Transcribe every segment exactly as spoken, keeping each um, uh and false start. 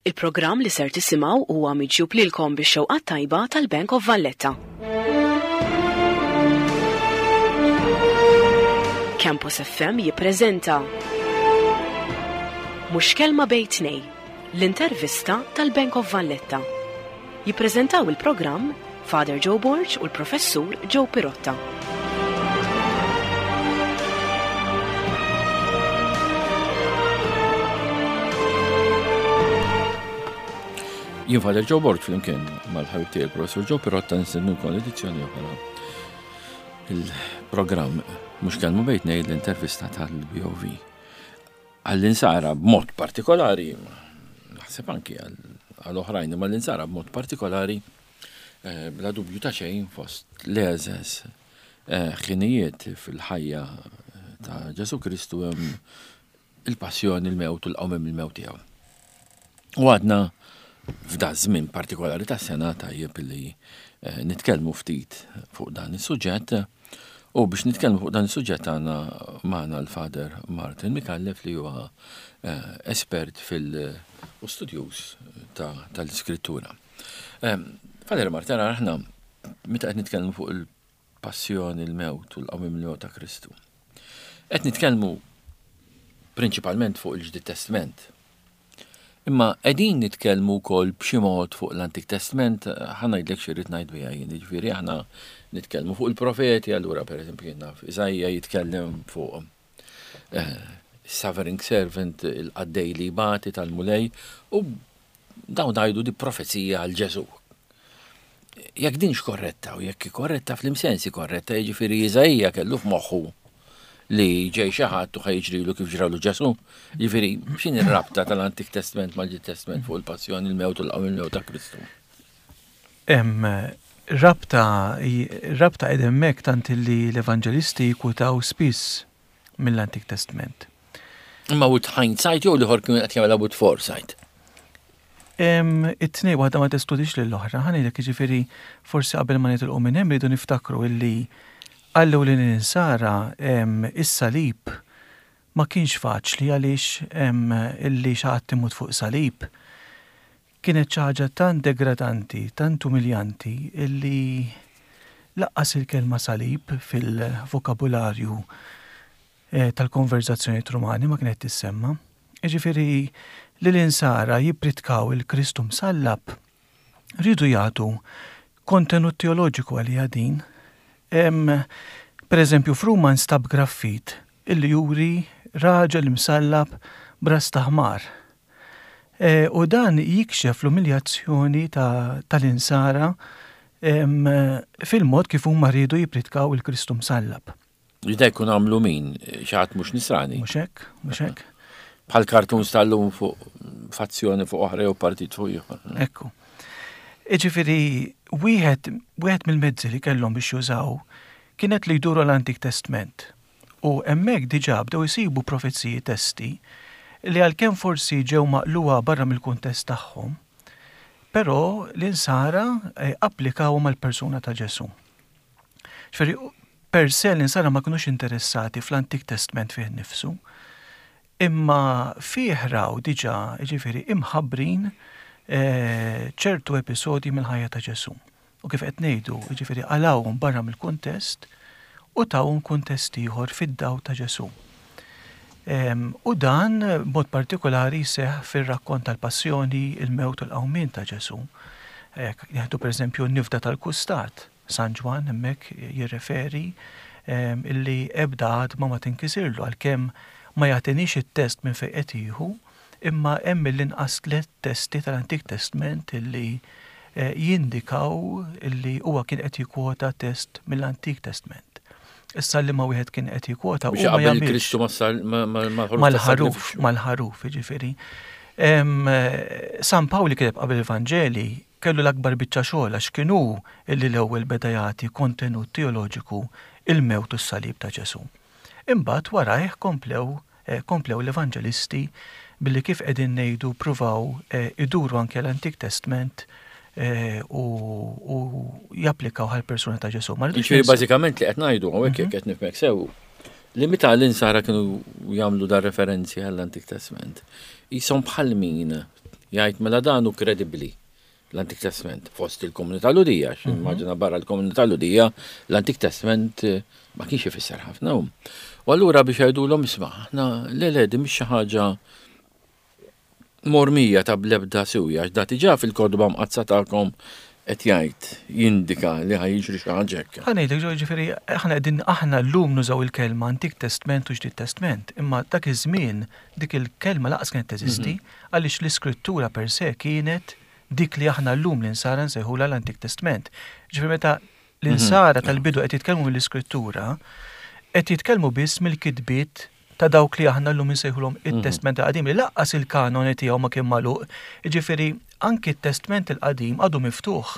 Il-programm li ser tisimgħu huwa miġjub lilkom bix-xewqat tajba tal-Bank of Valletta. Campus F M jippreżenta Mhux Kelma Bejn Tnejn, l-intervista tal-Bank of Valletta. Jippreżentaw il-programm Father Joe Borg u l-Professur Joe Pirotta. Jien Father Joe Borg flimkien mal-ħabib tiegħi il-Professur Joe Pirotta nistednukom l-edizzjoni oħra il-programm Mhux Kelma Bejn Tnejn, l-intervista tal-B O V. Għall-insara b'mod partikolari, naħseb anki għall-oħrajn, ma l-insara b'mod partikolari, eh, bla dubju ta' xejn fost l-eżes eh, ħinijiet fil-ħajja ta' Ġesu Kristu hemm il-passjoni, il-mewt u l-qawmien mill-mewt tiegħu. U għadna f'da żmien partikolari ta' sena tajjeb li eh, nitkellmu ftit fuq dan is-suġġett. U biex nitkellmu fuq dan is-suġġett għandna magħna l-Father Martin Micallef li huwa eh, espert fil- u studjuż tal-iskrittura. Eh, Father Martin, aħna meta qed nitkellmu fuq il-passjoni, il-mewt u l-qawmien mill-mewt ta' Kristu. Qed nitkellmu prinċipalment fuq il-Ġdid Testament. Imma qegħdin nitkellmu wkoll b'xi mod fuq l-Antik Testament, ħa ngħidlek xi rrid ngħid biha jien, jiġifieri aħna nitkellmu fuq il-profeti, allura pereżempju jien naf Iżajja jitkellem fuq eh, suffering servant, il-qaddej li jbati tal-Mulej, u dawn ngħidu di profezija għal Ġesu. Jekk dinx korretta u jekk korretta fl-imsensi korretta, jiġifieri Iżajja kellu f'moħħu li ġej xi ħadd u ħa jiġrilu kif ġralu Ġesu. Jiġifieri x'inhi r-rabta tal-Antik Testament mal-Ġdid Testament fuq il-passjoni, il-mewt u l-qawmien mill-mewt ta' Kristu? Hemm rabta rabta qed hemmhekk tant li l-evanġelisti jkwutaw spiss mill-Antik Testament. Imma with hindsight jew l-ieħor kienu qed jagħmilha with foresight? It-tnej, waħda ma teskludix lill-oħra, ħa ngħidlek, jiġifieri forsi qabel ma nitilqu minn hemm rridu niftakru illi għallu li l-insara is-salib ma kienx faċli, għaliex illi xi ħadd imut fuq salib kienet xi ħaġa tant degradanti, tant umiljanti, illi lanqas il-kelma salib fil-vokabularju eh, tal-konverzazzjoni rumani ma kienet tissemma. Jiġifieri li l-insara jippritkaw il-Kristu msallab rridu jagħtu kontenut teoloġiku għalija din. Per eżempju, f'Ruma nstab graffit illi juri raġel imsallab b'ras ta' ħmar. E, u dan jikxef l-umiljazzjoni tal-insara fil-mod kif huma rridu jippritkaw il-Kristu msallab. Jista' jkun għamlu min, xi ħadd mhux nisrani. Mhux hekk, mhux hekk. Bħal cartoons tal-lum fuq fazzjoni fuq oħra jew partit fuq ieħor. Ekku. Jiġifieri, wieħed wieħed mill-mezzi li kellhom biex jużaw kienet li jduru l-Antik Testament. U hemmhekk diġà bdew isibu profeziji, testi li għalkemm forsi ġew maqluwa barra mill-kuntest tagħhom, però l-insara eh, applikaw mal-persuna ta' Ġesu. Jiġifieri, per se l-insara ma kinux interessati fl-Antik Testament fih nifsu, imma fih raw diġà, ġifieri, imħabbrin eh, ċertu episodi mill-ħajja ta' Ġesu. U kif qed ngħidu, jiġifieri qalgħuhom barra mill-kuntest u tawhom kuntest ieħor fid-daw ta' Ġesu. U dan mod partikolari seħ fir-rakkont tal-passjoni, il-mewt u l-qawmien ta' Ġesu. Nieħdu per eżempju n-nifda tal-kustat, San Ġwann hemmhekk jirreferi illi ebda għadma ma tinkisirlu, għalkemm ma jagħtinix it-test minn fejn qed jieħu, imma hemm l-inqas tliet testi tal-Antik Testament illi eh, jindikaw illi huwa kien qed jikkwota test mill-Antik Testament. Issa li ma wieħed kien qed jikkwota u ma jagħmilx Kristu mal-ħaruf, mal-ħaruf, jiġifieri. San Pawl li kiteb qabel il-Vanġeli kellu l-akbar biċċa xogħol, għax kienu illi l-ewwel beda jagħti kontenut teoloġiku il-mewt u s-salib ta' Ġesu. Imbagħad warajh komplew eh, komplew l-evanġelisti billi, kif qegħdin ngħidu, pruvaw eh, iduru anke l-Antik Testament eh, u, u japplikaw għal persuna ta' Ġesu. Ma rridux Jiġifieri ninsew- bażikament li qed ngħidu hawnhekk, jekk qed nifhmek sew, li meta l-insara kienu jagħmlu dar referenzi għall-Antik Testament, jisom bħal min Jgħid mela dan hu kredibbli l-Antik Testament fost il-komunità Lhudija, għax immaġina barra l-komunità Lhudija l-Antik Testament eh, ma kienx ifisser ħafna. U allura biex jgħidulhom isma' aħna le le din mhix xi ħaġa mormija ta' bl-ebda siwja, għax da diġà fil-kotba mqaddsa tagħkom qed jgħid jindika li ħa jiġri xi ħaġa hekk. Ħa ngħidlek ġo ġifieri aħna qegħdin aħna llum nużaw il-kelma Antik Testament u Ġdid Testament, imma dak iż-żmien dik il-kelma lanqas kienet teżisti għaliex l-iskrittura per se kienet dik li aħna llum l-insara nsejħula l-Antik Testament. Ġifieri meta l-insara tal-bidu qed jitkellmu mill-iskrittura, qed jitkellmu biss mill-kitbiet ta' dawk li aħna llum insejħulhom it-Testament il-Qadim li lanqas il-kanoni tiegħu ma kien magħluq. Ġifieri anki t-Testament il-Qadim għadu miftuħ.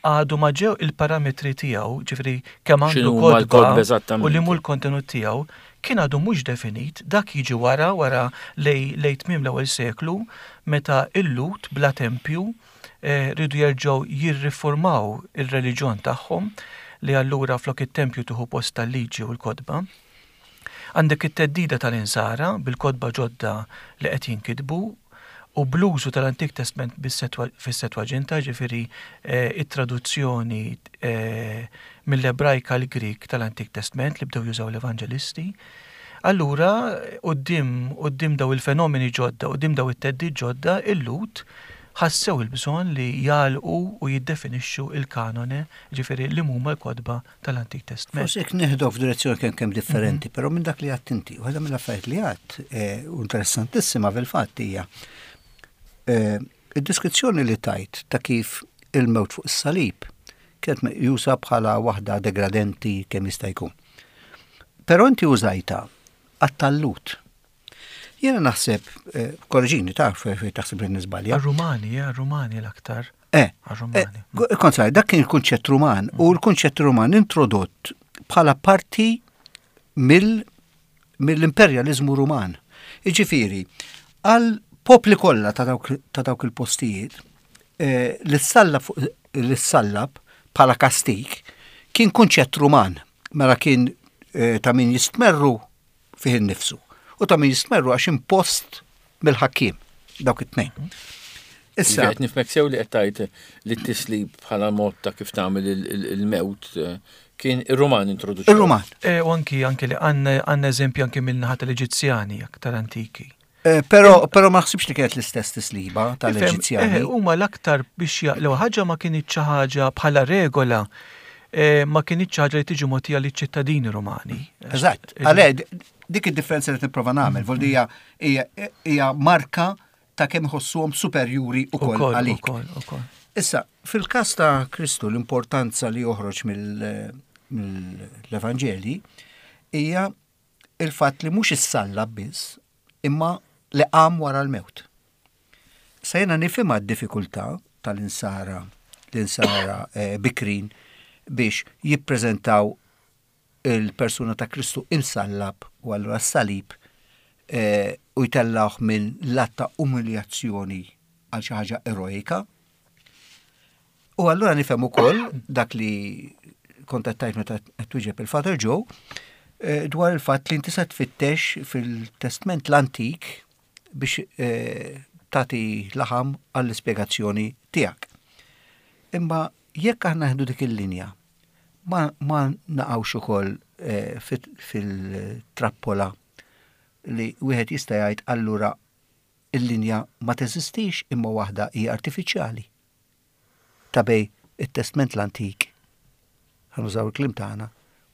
Għadu ma ġew il-parametri tiegħu, ġifieri kemm għandu X'inhuma l-kotba kotba eżattament. u li mhu l-kontenut tiegħu, kien għadu mhux definit, dak jiġi wara wara lej lej tmiem l-ewwel seklu meta il-Lhud bla tempju eh, ridu jerġgħu jirriformaw ir-reliġjon tagħhom li allura flok it-tempju tieħu post tal-liġi u l-kotba. Għandek it-theddida tal-insara bil-kotba ġodda li qed jinkitbu u bl-użu tal-Antik Testament bis-Setwa- fis-Settwaġinta, ġifieri eh, it-traduzzjoni eh, mill-Ebrajka l-Grik tal-Antik Testament li bdew jużaw l-Evanġelisti. Allura, quddiem quddiem daw il-fenomeni ġodda, quddiem daw it-theddid ġodda, il-Lhud ħassew il-bżonn li jagħlqu u jiddefinixxu il-kanone, ġifieri li huma l-kotba tal-Antik Testament. Forsi jekk neħdu f'direzzjoni kemm kemm differenti, però minn dak li għedt inti, waħda mill-affarijiet li għedt, eh, u interessantissima fil-fatt hija eh, id-deskrizzjoni li tajt ta' kif il-mewt fuq is-salib kienet meqjusa bħala waħda degradenti kemm jista' jkun. Però inti użajta għat-tal-Lhud. Jiena naħseb, eh, korreġini taf fejn taħseb li niżbalja. Għar-Rumani, eh, għar-Rumani l-aktar. Eh, Għar-Rumani. eh, kont dak kien il-kunċett Ruman u l-kunċett Ruman introdott bħala parti mill mill-imperjalizmu Ruman. Iġifieri, għal popli kollha ta' dawk ta' dawk il-postijiet, eh, li ssallab fuq- li ssallab bħala kastik kien kunċett Ruman, mela kien eh, ta' min jistmerru fih innifsu u ta' min jistmerru għax impost mill-ħakkiem dawk it-tnejn. Issa, Qed nifhmek sew li qed tgħid li t-tislib bħala mod ta' kif tagħmel il- il- il-mewt eh, kien ir-Ruman introduċew. ir-Ruman. E, u anki anki li għandna għandna eżempju anki mill-naħa tal-Eġizzjani aktar antiki. Eh, Però però ma naħsibx li kienet l-istess tisliba Ifhem, tal-Eġizzjani. eh, Huma l-aktar biex jaqlew ħaġa ma kienx xi ħaġa bħala regola eh, ma kienx xi ħaġa li tiġi mogħtija liċ-ċittadini Rumani. Eżatt. Għale, dik id-differenza li nipprova nagħmel, vuol hija hija marka ta' kemm iħossuhom superjuri ukoll Ukoll, għalik. ukoll, ukoll. Issa, fil-każ ta' Kristu l-importanza li joħroġ mill- mill-Evanġeli hija il-fatt li mhux issallab biss, imma li qam wara l-mewt. Sa jiena nifhimha d-diffikultà tal-insara, l-insara eh, bikrin biex jippreżentaw il-persuna ta' Kristu imsallab u allura s-salib eh, u jtellawh minn lat ta' umiljazzjoni għal xi ħaġa eroika. U allura nifhem ukoll dak li kontattajt meta qed twieġeb il-Father Joe eh, dwar il-fatt li inti se tfittex fil-Testament l-Antik biex eh, tagħti laħam għall-ispjegazzjoni tiegħek. Imma jekk aħna nieħdu dik il-linja, ma, ma naqgħux ukoll eh, fit- fil-trappola li wieħed jista' jgħid allura il-linja ma teżistix imma waħda hija artifiċjali. Ta' bejn it-Testament l-Antik, ħa nużaw il-kliem tagħna,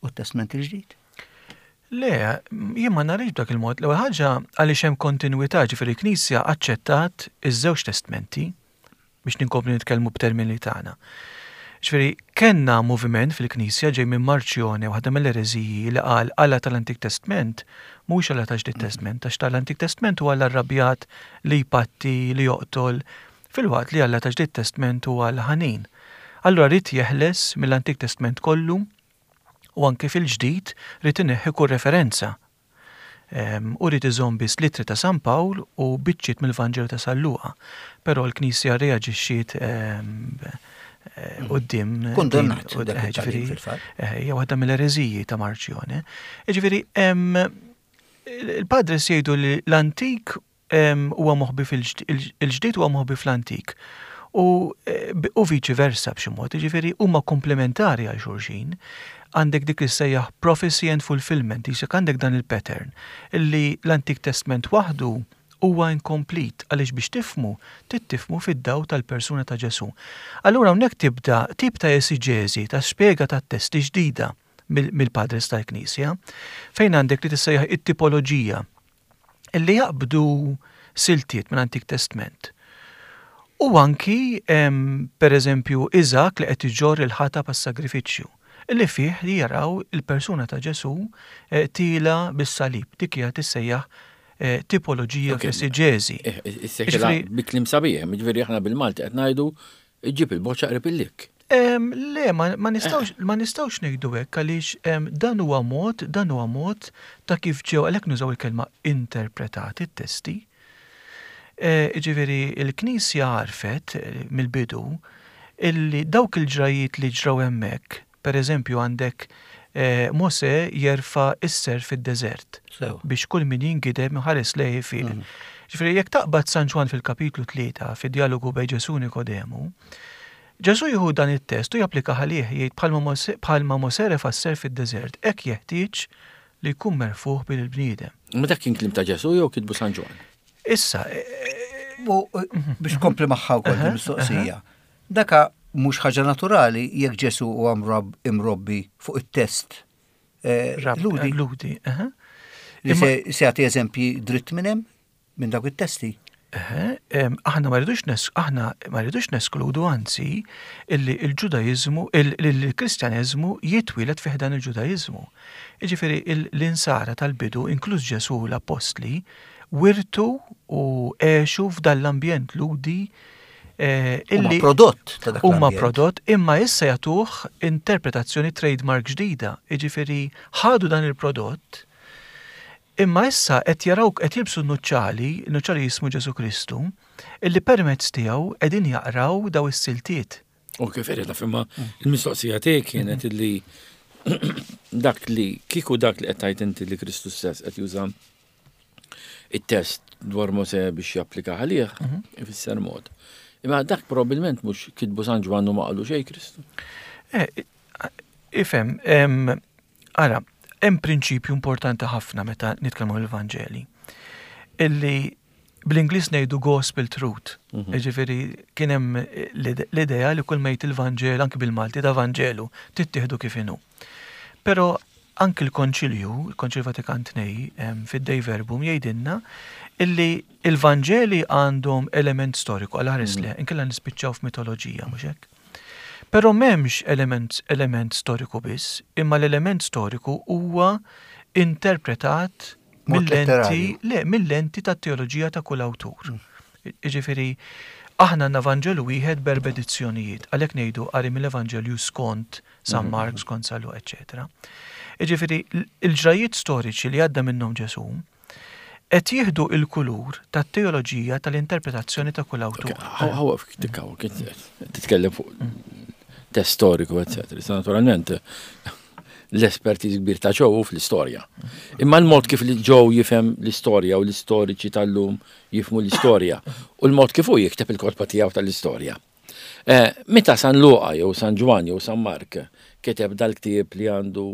u t-Testament il-Ġdid. Le, jien ma narix b'dak il-mod. L-ewwel ħaġa għaliex hemm kontinwità, ġifieri l-Knisja aċċettat iż-żewġ testmenti biex ninkomplu nitkellmu b'termini tagħna. Ġifieri kellna moviment fil-Knisja ġej minn Marċjone, waħda mill-ereżiji li qal Alla tal-Antik Testament mhux Alla ta' Ġdid Testament, għax tal-Antik Testament huwa Alla rrabjat li jpatti, li joqtol, filwaqt li Alla ta' Ġdid Testament huwa l-ħanin. Allura ried jeħles mill-Antik Testament kollu u anke fil-ġdid ried ineħħi kull referenza. Em, U ried iżomm biss l-ittri ta' San Pawl u biċċiet mill-Vanġelu ta' San Luqa. Però l-Knisja reaġixxiet em, eh, quddiem Kundannat din- dak eh, it-tagħlim ġifieri, fil-fatt. eh, hija waħda mill-ereżiji ta' Marċjone. Ġifieri, em, il-padres jgħidu li l-antik huwa moħbi fil-ġdid huwa moħbi fl-antik. U, eh, u viċi versa b'xi mod, jiġifieri huma komplementari għal xulxin. Għandek dik li sejjaħ prophecy and fulfillment, jisek għandek dan il-pattern illi l-Antik Testament waħdu huwa incomplete għaliex biex tifhmu, tifhmu fid-daw tal-persuna ta' Ġesu. Allura hawnhekk tibda tip ta' esiġeżi, ta' spjega ta' testi ġdida mill-padres tal-Knisja, fejn għandek li tissejjaħ it-tipoloġija illi jaqbdu siltiet minn Antik Testament. U anki, per eżempju, Iżak li qed iġorr il-ħatab għas-sagrifiċċju, illi fih li jaraw il-persuna ta' Ġesu eh, tila bis-salib, dik hija tissejjaħ eh, tipoloġija fl-esiġeżi. Eh, bi kliem sabiħ, jiġifieri aħna bil-Malti qed ngħidu ġib il-boċċa qrib il-likk. Le, ma nistgħux ma nistgħux ngħidu hekk għaliex dan huwa mod, dan huwa mod ta' kif ġew għalhekk nużaw il-kelma interpretati t-testi. Ġifieri il-Knisja għarfet mill-bidu illi dawk il-ġrajiet li ġraw hemmhekk, per eżempju għandek Mose jerfa' is-serp fid-deżert biex kull min jingidem ħares lejh fih. Ġifieri jekk taqbad San Ġwann fil-kapitlu tlieta fid-dialogu bejn Ġesu Nikodemu, Ġesu jieħu dan it-test u japplika għalih, jgħid bħalma Mose refa' s-serp fid-deżert, hekk jeħtieġ li jkun merfuħ bil-bniedem. Ma dak kien kliem ta' Ġesu jew kitbu San Ġwann? Issa, biex kompli magħha wkoll mistoqsija. Daka mhux ħaġa naturali jekk Ġesu huwa imrobbi fuq it-test Lhudi. Lhudi, Li se jagħti eżempji dritt minn hemm minn dawk it-testi. Aħna ma rridux aħna ma rridux neskludu anzi illi il-Ġudaiżmu, il-Kristjaneżmu jitwieled fih dan il-Ġudaiżmu. Jiġifieri l-insara tal-bidu, inkluż Ġesu l-Appostli, wirtu u għexu f'dan l-ambjent Lhudi illi prodott ta' dak huma prodott, imma issa jagħtuh interpretazzjoni trademark ġdida. Jiġifieri ħadu dan il-prodott, imma issa qed jaraw qed jilbsu n-nuċċali, n-nuċċali jismu Ġesu Kristu, illi permezz tiegħu qegħdin jaqraw daw is-siltiet. U kif irid imma il-mistoqsija tiegħek kienet illi dak li kieku dak li qed tgħid inti li Kristu stess qed juża it-test dwar Mose biex japplika għalih, ifisser mod. Imma dak probabbilment mhux kitbu San Ġwann u ma qalu xejn Kristu. Ifhem, ara, hemm prinċipju importanti ħafna meta nitkellmu l-Vanġeli. Illi bl-Ingliż ngħidu gospel truth. Jiġifieri kien hemm l-idea li kull ma jgħid il-Vanġel anki bil-Malti da Vanġelu tittieħdu kif inhu. Però anki l-Konċilju, il-Konċilju Vatikan tnejn fid-Dei Verbum jgħidilna illi il-Vanġeli għandhom element storiku għal ħares le, inkella nispiċċaw f'mitoloġija mhux hekk. Però m'hemmx element, element storiku biss, imma l-element storiku huwa interpretat mill-lenti, le, mill-lenti tat-teoloġija ta' kull awtur. Jiġifieri aħna għandna Vanġelu wieħed b'erba' edizzjonijiet, għalhekk ngħidu qari mill-Evanġelju skont San Mark, skont San Luqa, eċċetera. Jiġifieri il-ġrajiet storiċi li għadda minnhom Ġesu qed jieħdu il-kulur tat-teoloġija tal-interpretazzjoni ta' kull awtur. Ħawa titkellem fuq test storiku, eccetera. Issa naturalment l-espertiż kbir ta' Joe fl-istorja. Imma l-mod kif li Joe jifhem l-istorja u l-istoriċi tal-lum jifhmu l-istorja u l-mod kif hu jikteb il-kotba tiegħu tal-istorja. Meta San Luqa jew San Ġwann jew San Mark kiteb dal-ktieb li għandu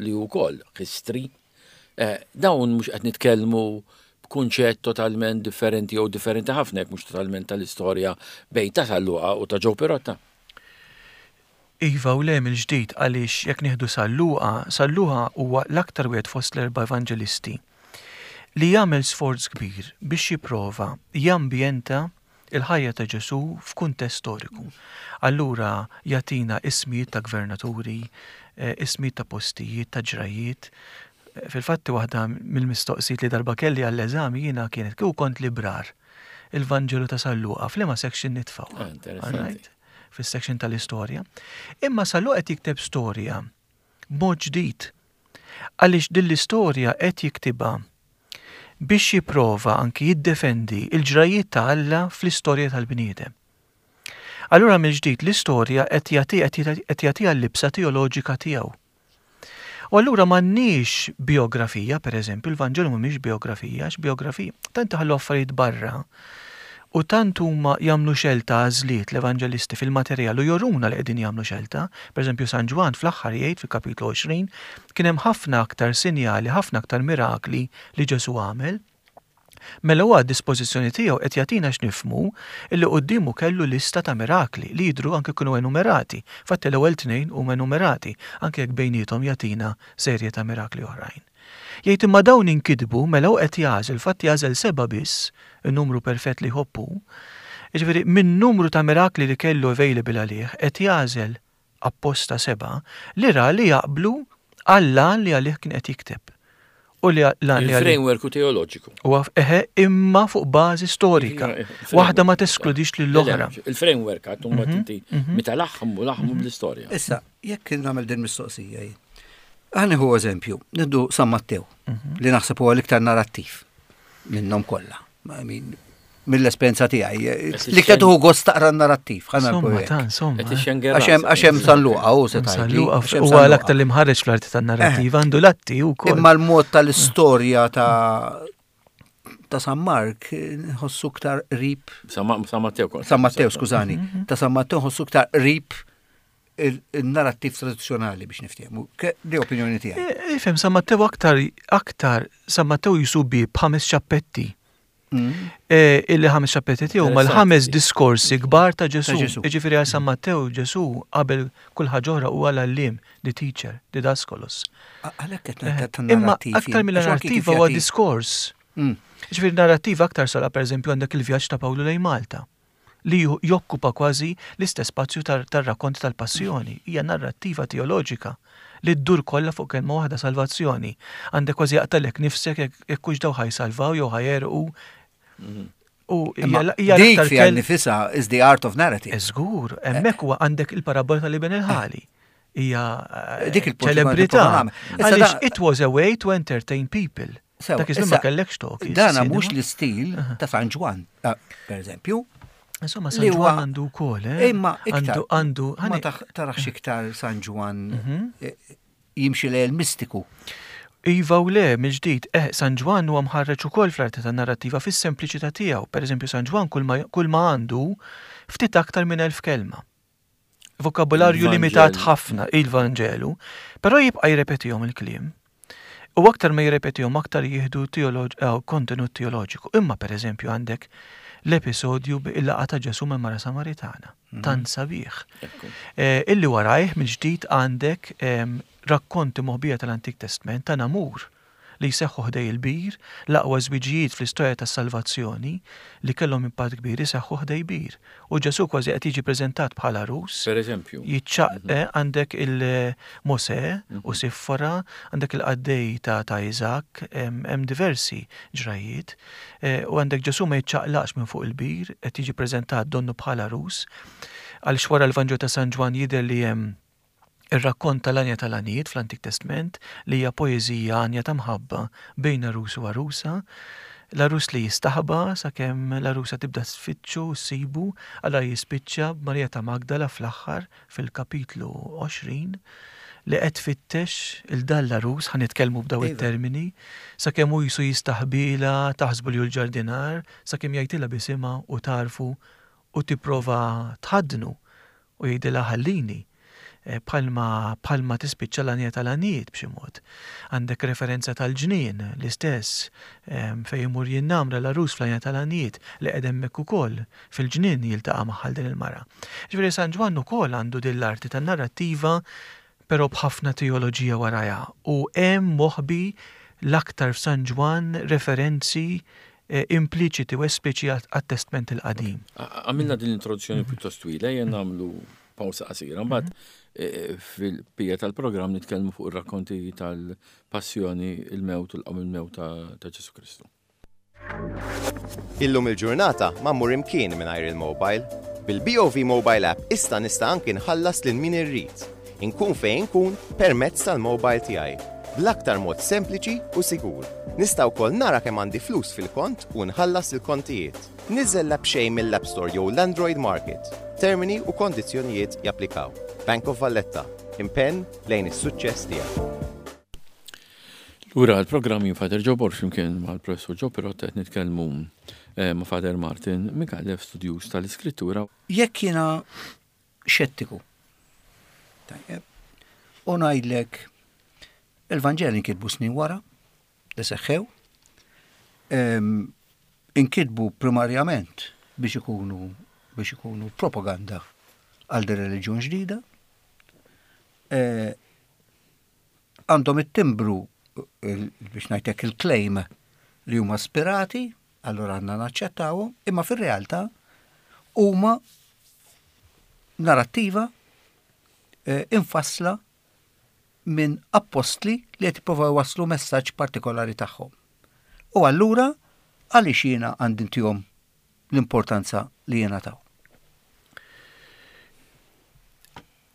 li wkoll history, dawn mhux qed nitkellmu b'kunċett totalment differenti jew differenti ħafna jekk mhux totalment tal-istorja bejn ta' San Luqa u ta' Joe Pirotta. Iva u le mill-ġdid għaliex jekk nieħdu San Luqa, San Luqa huwa l-aktar wieħed fost l-erba' evanġelisti li jagħmel sforz kbir biex jipprova jambjenta il-ħajja ta' Ġesu f'kuntest storiku. Allura jagħtina ismijiet ta' gvernaturi, ismijiet ta' postijiet, ta' ġrajiet. Fil-fatti waħda mill-mistoqsijiet li darba kelli għall-eżami jiena kienet kieku kont librar il-Vanġelu ta' San Luqa f'liema section nitfgħu. Interessanti. Fis-section tal-istorja. Imma San Luqa qed jikteb storja b'mod ġdid. Għaliex din l-istorja qed jiktibha biex jipprova anki jiddefendi il-ġrajiet ta' Alla fl-istorja tal-bniedem. Allura mill-ġdid l-istorja qed jagħti qed jagħtiha l-libsa teoloġika tiegħu. U allura m'għandniex biografija, per eżempju, il-Vanġelu mhumiex biografija, għax biografija tant ħallu affarijiet barra u tant huma jagħmlu xelta għażliet l-evanġelisti fil-materjal u joruna li qegħdin jagħmlu xelta. Per eżempju, San Ġwann fl-aħħar jgħid fil-kapitlu għoxrin kien hemm ħafna aktar sinjali, ħafna aktar mirakli li Ġesu għamel. Mela huwa dispożizzjoni tiegħu qed jagħtina x'nifhmu illi quddiemu kellu lista ta' mirakli li jidhru anke kienu enumerati. Fatti l-ewwel tnejn huma enumerati, anke jekk bejniethom jagħtina serje ta' mirakli oħrajn. Jgħid imma dawn inkitbu mela hu qed jagħżel, fatt jagħżel seba' biss, in-numru perfett li jħobbu. Jiġifieri minn numru ta' mirakli li kellu available għalih qed jagħżel apposta seba' li ra li jaqblu għall-għan li għalih kien qed jikteb. U li l-għan li għalih Il-framework u teoloġiku. U għaf, eħe, imma fuq bażi storika. Waħda ma teskludix lill-oħra. Il-framework għattu ma tinti meta laħmu laħmu bl-istorja. Issa, jekk nagħmel din mistoqsija jien. Ħa nieħu eżempju, nieħdu San Mattew, li naħseb huwa l-iktar narrattiv minnhom kollha. I mean, mill-esperjenza tiegħi, l-iktar tuħu gost taqra narrattiv, ħa Insomma, nagħmlu hekk. ta' insomma. Qed ixxengera Għax hemm- għax hemm San Luqa u se San tgħidli, Luqa għax hemm huwa San Luqa. l-aktar li mħarreġ fl-arti tan-narrattiva, għandu l-atti wkoll. Imma l-mod tal-istorja ta' ta' San Mark nħossu ktar qrib San Matteo kont. San Matteo, skużani, ta' San Matteo nħossu ktar qrib il-narrattiv tradizzjonali biex niftehmu. Ke- Di opinjoni tiegħi. E, Ifhem, San Matteo aktar, aktar, San Matteo jisubi b'ħames ċappetti. Mm. E, illi ħames ċappetti tiegħu ma l-ħames diskorsi kbar ta' Ġesu. Ta' Ġesu. Jiġifieri għal San Matteo Ġesu qabel kull ħaġa oħra huwa l-għalliem, the teacher, didaskalos. Għalhekk qed Eh, ngħid ta' Imma narrattiv. aktar mill-narrattiva huwa diskors. Mm. Ġifieri narrattiva aktar sala per eżempju għandek il-vjaġġ ta' Pawlu lejn Malta li ju- jokkupa kważi l-istess spazju tar- tar-rakkont tal-passjoni. Hija narrattiva teoloġika li ddur kollha fuq kelma waħda salvazzjoni. Għandek kważi jaqtalek nifsek jekk jekk hux daw ħa jsalvaw jew ħa jegħrqu. U hija Imma hija dik l-aktar fiha kel- nifisha is the art of narrative. Żgur, hemmhekk huwa għandek il-parabola tal-iben il-ħali. Hija eh, Dik il-punt li kont ċelebrità. nipprova nagħmel. Issa Għaliex da- it was a way to entertain people. Sewa, Dak iż-żmien ma issa, kellekx talkies. Dana cinema. mhux l-istil ta' San Ġwann, eh, per eżempju. Insomma, San li huwa- Ġwann għandu wkoll, eh? Imma iktar. Għandu, għandu, Ma ħani- taħ- tarax iktar San Ġwann Mhm. eh, jimxi lejn il-mistiku. Iva u le, mill-ġdid, eh, San Ġwann huwa mħarreġ ukoll fl-arti tan-narrattiva fis-sempliċità tiegħu. Per eżempju, San Ġwann kull ma, kull ma għandu ftit aktar minn elf kelma. Vokabularju Il-Vanġelu. limitat ħafna, il-Vanġelu, però jibqa' jirrepetihom il-kliem. U aktar ma jirrepetihom aktar jieħdu teolog- eh, kontenut teoloġiku. Imma per eżempju għandek l-episodju bil-laqgħa ta' Ġesu ma' mara Samaritana. Tant sabiħ. Ekku. Eh, illi warajh mill-ġdid għandek em, rakkonti moħbija tal-Antik Testament ta' namur li jseħħu ħdej il-bir, l-aqwa żwiġijiet fl-istorja tas-salvazzjoni li kellhom impatt kbir iseħħu ħdej bir. U Ġesu kważi qed jiġi preżentat bħala għarus, Per eżempju. jitċaq eh, għandek il-Mose u Siffora, għandek il-qaddej ta' ta' Isaac, hemm hemm diversi ġrajiet, eh, u għandek Ġesu ma jitċaqlaqx minn fuq il-bir, qed jiġi preżentat donnu bħala għarus, għaliex wara l-Vanġelu ta' San Ġwann jidher li hemm ir-rakkont tal-Għanja tal-Għanjiet fl-Antik Testament li hija poeżija għanja ta' mħabba bejn għarus u għarusa. L-għarus li jistaħba sakemm l-għarusa tibda tfittxu ssibu, għala jispiċċa b'Marija ta' Magdala fl-aħħar fil-kapitlu għoxrin li qed tfittex il dan l-għarus, ħa nitkellmu b'daw Iva. it-termini, sakemm hu jisu jistaħbila, taħsbu li hu l-ġardinar, sakemm jgħidilha bisimha u tarfu u tipprova tħaddnu u jgħidilha ħallini. Eh, Bħalma bħalma tispiċċa l-Għanja tal-Għanjiet b'xi mod. Għandek referenza tal-ġnien l-istess em, fejn imur jinnamra l-għarus fl-Għanja tal-Għanjiet li qed hemmhekk ukoll fil-ġnien jiltaqa' magħha din il-mara. Ġifieri San Ġwann ukoll għandu din l-arti tan-narrattiva però b'ħafna teoloġija warajha u hemm moħbi l-aktar f'San Ġwann referenzi eh, impliċiti u espliċi għat-Testament il-Qadim. Għamilna din l-introduzzjoni pjuttost twila, ejja nagħmlu pawsa qasira. Mbagħad eh, fil-bqija tal-programm nitkellmu fuq ir-rakkonti tal-passjoni, il-mewt u l-qawmien mill-mewt ta' ta' Ġesu Kristu. Illum il-ġurnata ma mmur imkien mingħajr il-mobile. Bil-B O V Mobile App issa nista' anki nħallas lil min irrid. Inkun fejn inkun permezz tal-mobile tiegħi. Bl-aktar mod sempliċi u sigur. Nista' wkoll nara kemm għandi flus fil-kont u nħallas il-kontijiet. Niżel l-app b'xejn mill-App Store jew l-Android Market. Termini u kondizzjonijiet japplikaw. Bank of Valletta. Impenn lejn is-suċċess tiegħek. Lura l-programm jien Father Joe Borg flimkien mal-Professur Joe Pirotta qed nitkellmu eh, ma' Father Martin Micallef, studjuż tal-Iskrittura. Jekk jiena xettiku, tajjeb, u ngħidlek il-Vanġeli nkitbu snin wara li seħħew, em, inkitbu primarjament biex ikunu biex ikunu propaganda għal din reliġjon ġdida, eh, għandhom it-timbru il- biex ngħidlek il-claim li huma spirati, allora għandna naċċettawhom, imma fir-realtà huma narrattiva eh, infassla minn appostli li qed jippruvaw jwasslu messaġġ partikolari tagħhom. U allura għaliex jiena għandi ntihom l-importanza li jiena taw.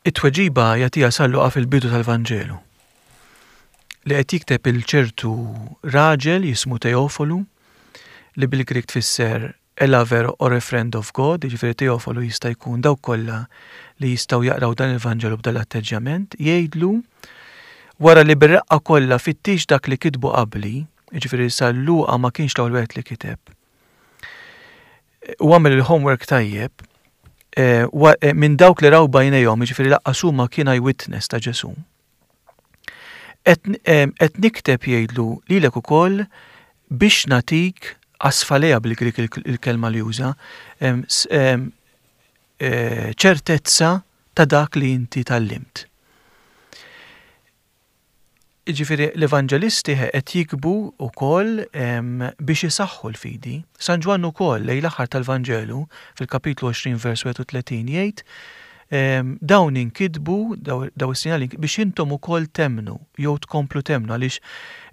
It-tweġiba jagħtiha San Luqa fil-bidu tal-Vanġelu, li qed jikteb il-ċertu raġel jismu Teofolu, li bil-Grik tfisser a lover or a friend of God, jiġifieri Teofolu jista' jkun dawk kollha li jistgħu jaqraw dan il-Vanġelu b'dan l-atteġġjament, jgħidlu wara li bir-reqqa kollha fittix dak li kitbu qabli, jiġifieri San Luqa ma kienx l-ewwel wieħed li kiteb, u għamel il-homework tajjeb, eh, wa-, eh, minn dawk li raw bajnejhom, jiġifieri laqqas huma kien eyewitness ta' Ġesù. Qed, eh, qed nikteb jgħidlu lilek ukoll biex natik asfalea bil-Grik il-, il-kelma li juża, em, s-, em, eh, ċertezza ta' dak li inti tallimt. Jiġifieri l-evanġelisti qed jikbu wkoll, em, biex isaħħu l-fidi. San Ġwann ukoll lejn l-aħħar tal-Vanġelu fil-kapitlu għoxrin vers wieħed u tletin jgħid, em, dawn inkitbu, daw, daw is-sinjali biex intom ukoll temnu jew tkomplu temnu, għaliex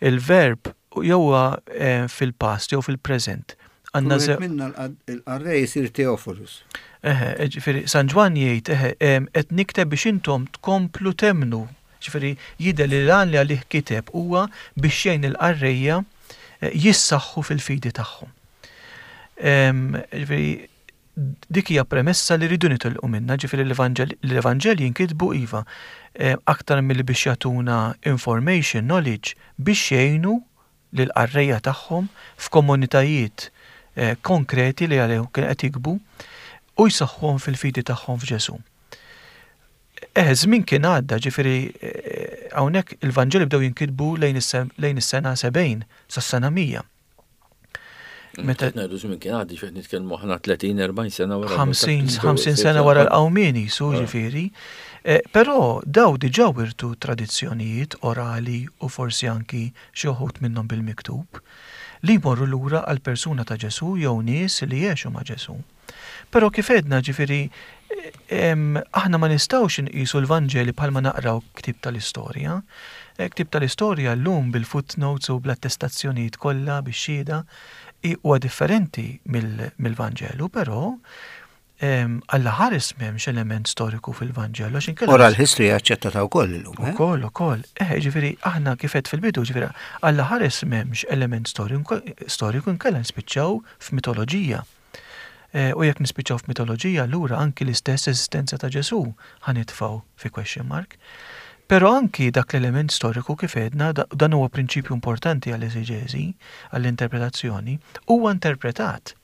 il-verb jew huwa, eh, fil-past jew fil-preżent. Għandna Kull ze- minna l-qad-, il-qarrej jsir Teofilus. Eħe, ġifieri San Ġwann jgħid, eħe, em, qed nikteb biex intom tkomplu temnu. Ġifieri jidher li l-għan li għalih kiteb huwa biex jgħin il-qarrejja, eh, jissaħħu fil-fidi tagħhom. Em, ġifieri dik hija premessa li rridu nitilqu minnha, ġifieri l-Evanġel-, l-Evanġelji jinkitbu iva, eh, aktar milli biex jagħtuna information, knowledge, biex jgħinu lill-qarrejja tagħhom f'komunitajiet, eh, konkreti li għalihom kien qed jikbu u jsaħħuhom fil-fidi tagħhom f'Ġesù. Eh, żmien kien għadda, ġifieri, eh, hawnhekk il-Vanġeli bdew jinkitbu lejn is-se-, lejn is-sena sebgħin sas-sena mija. Meta Qed ngħidu żmien kien għaddi, x'qed nitkellmu aħna tletin, erbgħin sena wara ħamsin, l-Multat ħamsin Kristu, sena wara l-qawmien jisu, Ah. ġifieri. Eh, però daw diġà wirtu tradizzjonijiet orali u forsi anki xi wħud minnhom bil-miktub li jmorru lura għal persuna ta' Ġesù jew nies li jgħixu ma' Ġesù. Però kif għedna, ġifieri, em, aħna ma nistgħux inqisu l-Vanġeli bħalma naqraw ktieb tal-istorja. Eh, ktieb tal-istorja llum bil-footnotes u bl-attestazzjonijiet kollha bix-xhieda i-, huwa differenti mill-, mill-Vanġelu, però, em, Alla ħares m'hemmx element storiku fil-Vanġelu, għax inkella Oral history aċċettata wkoll illum, eh? Ukoll, ukoll. Eh, ġifieri, aħna kif għedt fil-bidu, ġifieri, Alla ħares m'hemmx element storiku, storiku inkella nispiċċaw f'mitoloġija. Eh, u jekk nispiċċaw f'mitoloġija, allura anki l-istess eżistenza ta' Ġesù ħanitfgħu fi question mark. Però anki dak l-element storiku kif għedna, da-, dan huwa prinċipju importanti għall-eżeġeżi, għall-interpretazzjoni, huwa interpretat.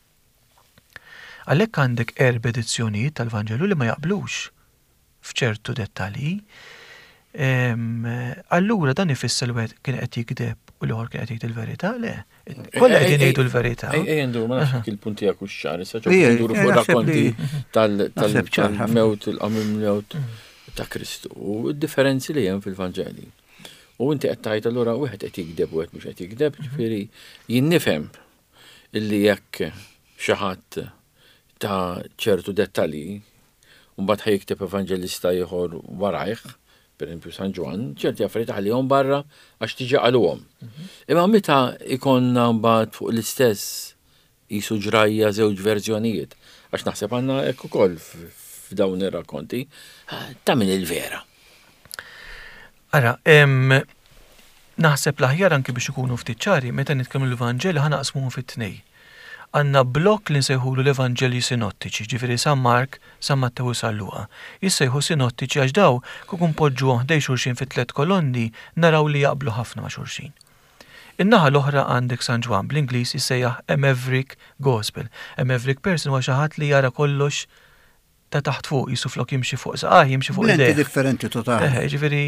Għalhekk għandek erba' edizzjonijiet tal-Vanġelu li ma jaqblux f'ċertu dettalji. Em, allura dan ifisser li wieħed kien qed jikdeb u l-ieħor kien qed jgħid il-verità, le. Kollha Ej, qegħdin ej, jgħidu l-verità. Ej, ej, ndur, ma nafx Aha. kif il-punt tiegħek hux ċar, issa ġew Ej, nduru ej, fuq naħseb rakkonti li- tal-, tal-, naħseb ċar ħafna. tal-mewt, il-qamim mewt ta' Kristu u d-differenzi li hemm fil-Vanġeli. U inti qed tgħid allura wieħed qed jikdeb u wieħed mhux qed jikdeb, ġifieri jien nifhem illi jekk xi ħadd ta' ċertu dettalji u mbagħad ħa jikteb evanġelista ieħor warajh, per esempio San Ġwann, ċerti affarijiet ħallihom barra għax tiġi qaluhom. Imma meta ikonna mbagħad fuq l-istess jisu ġrajja żewġ verżjonijiet, għax naħseb għandna hekk ukoll f-, f'dawn ir-rakkonti, ta' min il-vera. Ara, em, naħseb l-aħjar anki biex ikunu ftit ċari, meta nitkellmu l-Vanġeli ħa naqsmuhom fit-tnej. Għandna blokk li nsejħulu l-Evanġelji sinottiċi, ġifieri San Mark, San Mattew u San Luqa. Jissejħu sinottiċi għax daw kieku npoġġuhom ħdej xulxin fit tliet kolonni naraw li jaqblu ħafna ma' xulxin. In-naħa l-oħra għandek San Ġwann, bl-Ingliż jissejjaħ a Maverick Gospel. A Maverick person huwa xi ħadd li jara kollox ta' taħt fuq, jisu flok jimxi fuq saqajh, jimxi fuq Lenti idejh. Differenti totali. Eħe, ġifieri,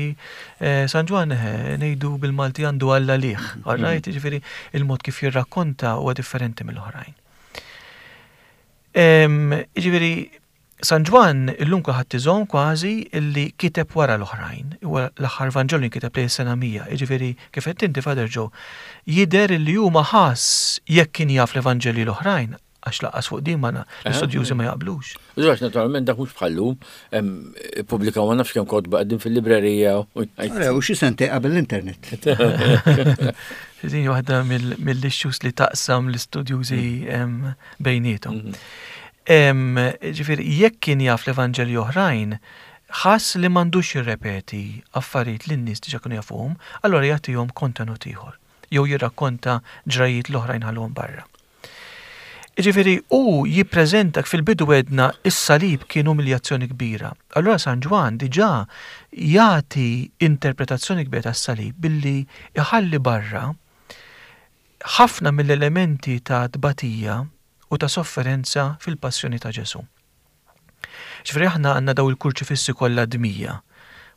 eh, San Ġwann, eħe, ngħidu bil-Malti għandu Alla liħ, all right? Ġifieri, il-mod kif jirrakkonta huwa differenti mill-oħrajn. Em, Ġifieri, San Ġwann illum kulħadd iżomm kważi illi kiteb wara l-oħrajn. Huwa l-aħħar Vanġelu kiteb lejn sena mija. Ġifieri, kif qed inti, Father Joe, jidher illi huma ħass jekk kien jaf l-Evanġelji l-oħrajn, għax lanqas fuq din ma l-istudjużi ma jaqblux. Għax naturalment dak mhux bħallu, pubblikaw ma nafx kemm kotba qegħdin fil-librerija. u jgħid- Ara, u xi sentej qabel l-internet. Din waħda mill- mill-issues li taqsam l-istudjużi em, bejniethom. Em, Ġifieri, jekk kien jaf l-Evanġelji oħrajn, ħass li m'għandux jirrepeti affarijiet li n-nies diġà kienu jafuhom, allora jagħtihom kontenut ieħor jew jirrakkonta ġrajiet l-oħrajn ħallhom barra. Ġifieri, u jippreżenta fil-bidu għedna is-salib kien umiljazzjoni kbira. Allora San Ġwann diġà jagħti interpretazzjoni kbira tas-salib billi iħalli barra ħafna mill-elementi ta' tbatija u ta' sofferenza fil-passjoni ta' Ġesu. Ġifieri aħna għandna daw il-kurċifissi kollha dmija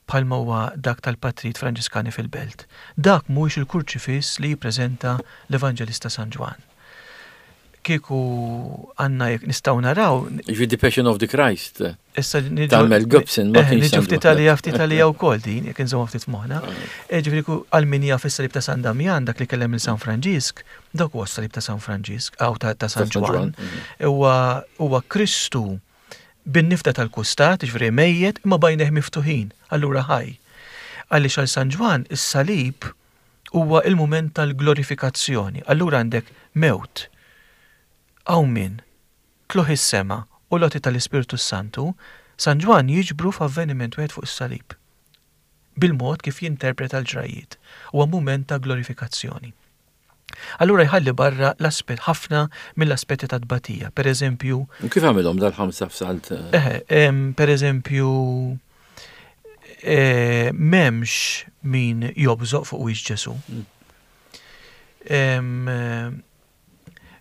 bħalma huwa dak tal-Patrijiet Franġiskani fil-Belt. Dak mhuwiex il-kurċifiss li jippreżenta l-Evanġelista San Ġwann. Kieku għandna jekk nistgħu naraw Ġifieri The Passion of the Christ. Issa niġu Ta' Mel Gibson, ma Eh, kienx niġu San ftit Ġwann. għalija ftit għalija wkoll din, jekk inżommu ftit moħħna. Eh, Ġifieri ku għal min jaf is-salib ta' San Damjan, dak li kellem il San Franġisk, dak huwa s-salib ta' San Franġisk, aw ta' ta' San Ta' San Ġwann. Ġwann, mhm. Huwa huwa Kristu bin-nifda tal-kustat, ġifieri mejjet, imma b'għajnejh miftuħin, allura ħaj. Għaliex għal San Ġwann is-salib huwa il-mument tal-glorifikazzjoni. Allura għandek mewt, qawmien, tlugħ is-sema u l-għoti tal-Ispirtu Santu, San Ġwann jiġbru f'avveniment wieħed fuq is-salib. Bil-mod kif jinterpreta l-ġrajiet. Huwa mument ta' glorifikazzjoni. Allura jħalli barra l-aspett ħafna mill-aspetti ta' tbatija. Per eżempju, U kif għamilhom dal-ħamsa f'salt? Eħe, em, per eżempju, eh, m'hemmx min jobżoq fuq wiċċ Ġesu. Em, eh,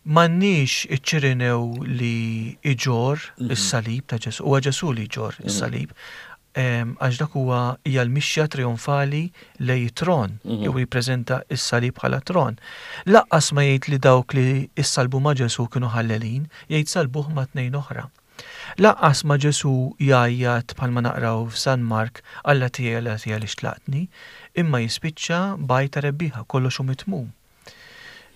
M'għandniex iċ-Ċirinew li iġorr is-salib ta' Ġesu, huwa Ġesu li jġorr is-salib, em, għax dak huwa hija l-mixja trionfali lejn tron, jew jippreżenta is-salib bħala tron. Lanqas ma jgħid li dawk li issalbu ma' Ġesu kienu ħallelin, jgħid salbuh ma' tnejn oħra. Lanqas ma Ġesu jgħajjat bħalma naqraw f'San Mark, "Alla tiegħi, Alla tiegħi, għaliex tlaqtni?" imma jispiċċa b'għajta rebbieħa, kollox hu mitmum.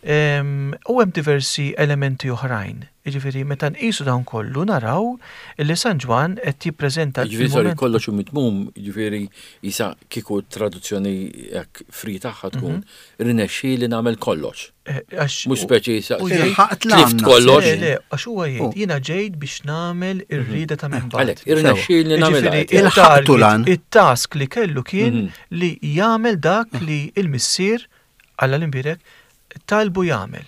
Em, U hemm diversi elementi oħrajn. Jiġifieri meta nqisu dawn kollu naraw li San Ġwann qed jippreżenta Ġifieri, sorry, il-mument- kollox hu mitmum, ġifieri jisa kieku traduzzjoni hekk free tagħha tkun rinexxi li nagħmel kollox. Eh, għax Mhux speċi jisa u jgħid- Ilħaqt tlift l-għan. kollox. Le, le, għax huwa jgħid, Oh. jiena ġejt biex nagħmel ir-rieda ta' min Għalhekk, bagħatni. irnexxi li nagħmel. Ġifieri, Il-ħaqtu il-target, lan. it-task li kellu kien Mhm. li jagħmel dak li il-missier Alla l-imbierek talbu jagħmel.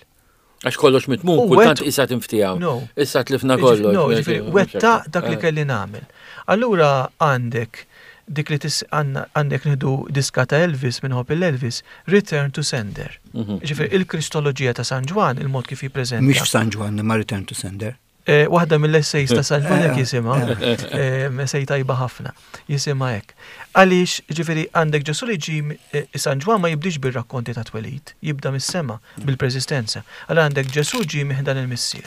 Għax kollox mitmum, U kultant wet- issa tinftijaw. No. Issa tlifna kollox. No, ġifieri, wettaq dak li kelli nagħmel. Allura għandek dik li tis għandna- għandek nieħdu diska ta' Elvis minn Hop Elvis, "Return to Sender". Mhm. Ġifieri il-Kristoloġija ta' San Ġwann, il-mod kif jippreżenta. Mhix f'San Ġwann, ma Return to Sender. Eh, Waħda mill-essays ta' San Ġwann hekk Eh, jisimha, eh, essay tajba ħafna, jisimha hekk. Għaliex, ġifieri, għandek Ġesu li ġi eh, San Ġwann ma jibdix bir-rakkonti ta' twelid, jibda mis-sema, bil-preżistenza. Allura għandek Ġesu ġi minn ħdan il-Missier.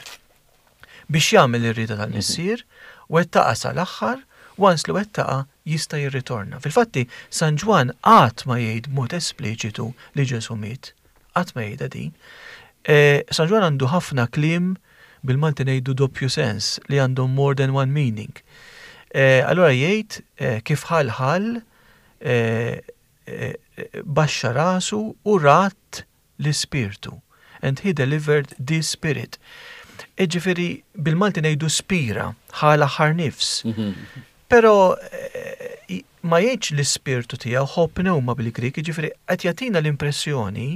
Biex jagħmel ir-rieda tal-Missier, wettaqa sal-aħħar, once li wettaqa jista' jirritorna. Fil-fatti, San Ġwann qatt ma jgħid mod espliċitu li Ġesu miet. Qatt ma jgħidha din. Eh, San Ġwann għandu ħafna kliem, bil-Malti ngħidu doppju sens, li għandhom more than one meaning. Eh, allora jgħid eh, kif ħal ħal eh, eh, baxxa rasu u rat l-ispirtu. And he delivered the spirit. Ġifieri, bil-Malti ngħidu spira, ħa l-aħħar nifs. Pero eh, ma jgħidx l-ispirtu tiegħu, ho pneuma bil-Grik, ġifieri qed jagħtina l-impressjoni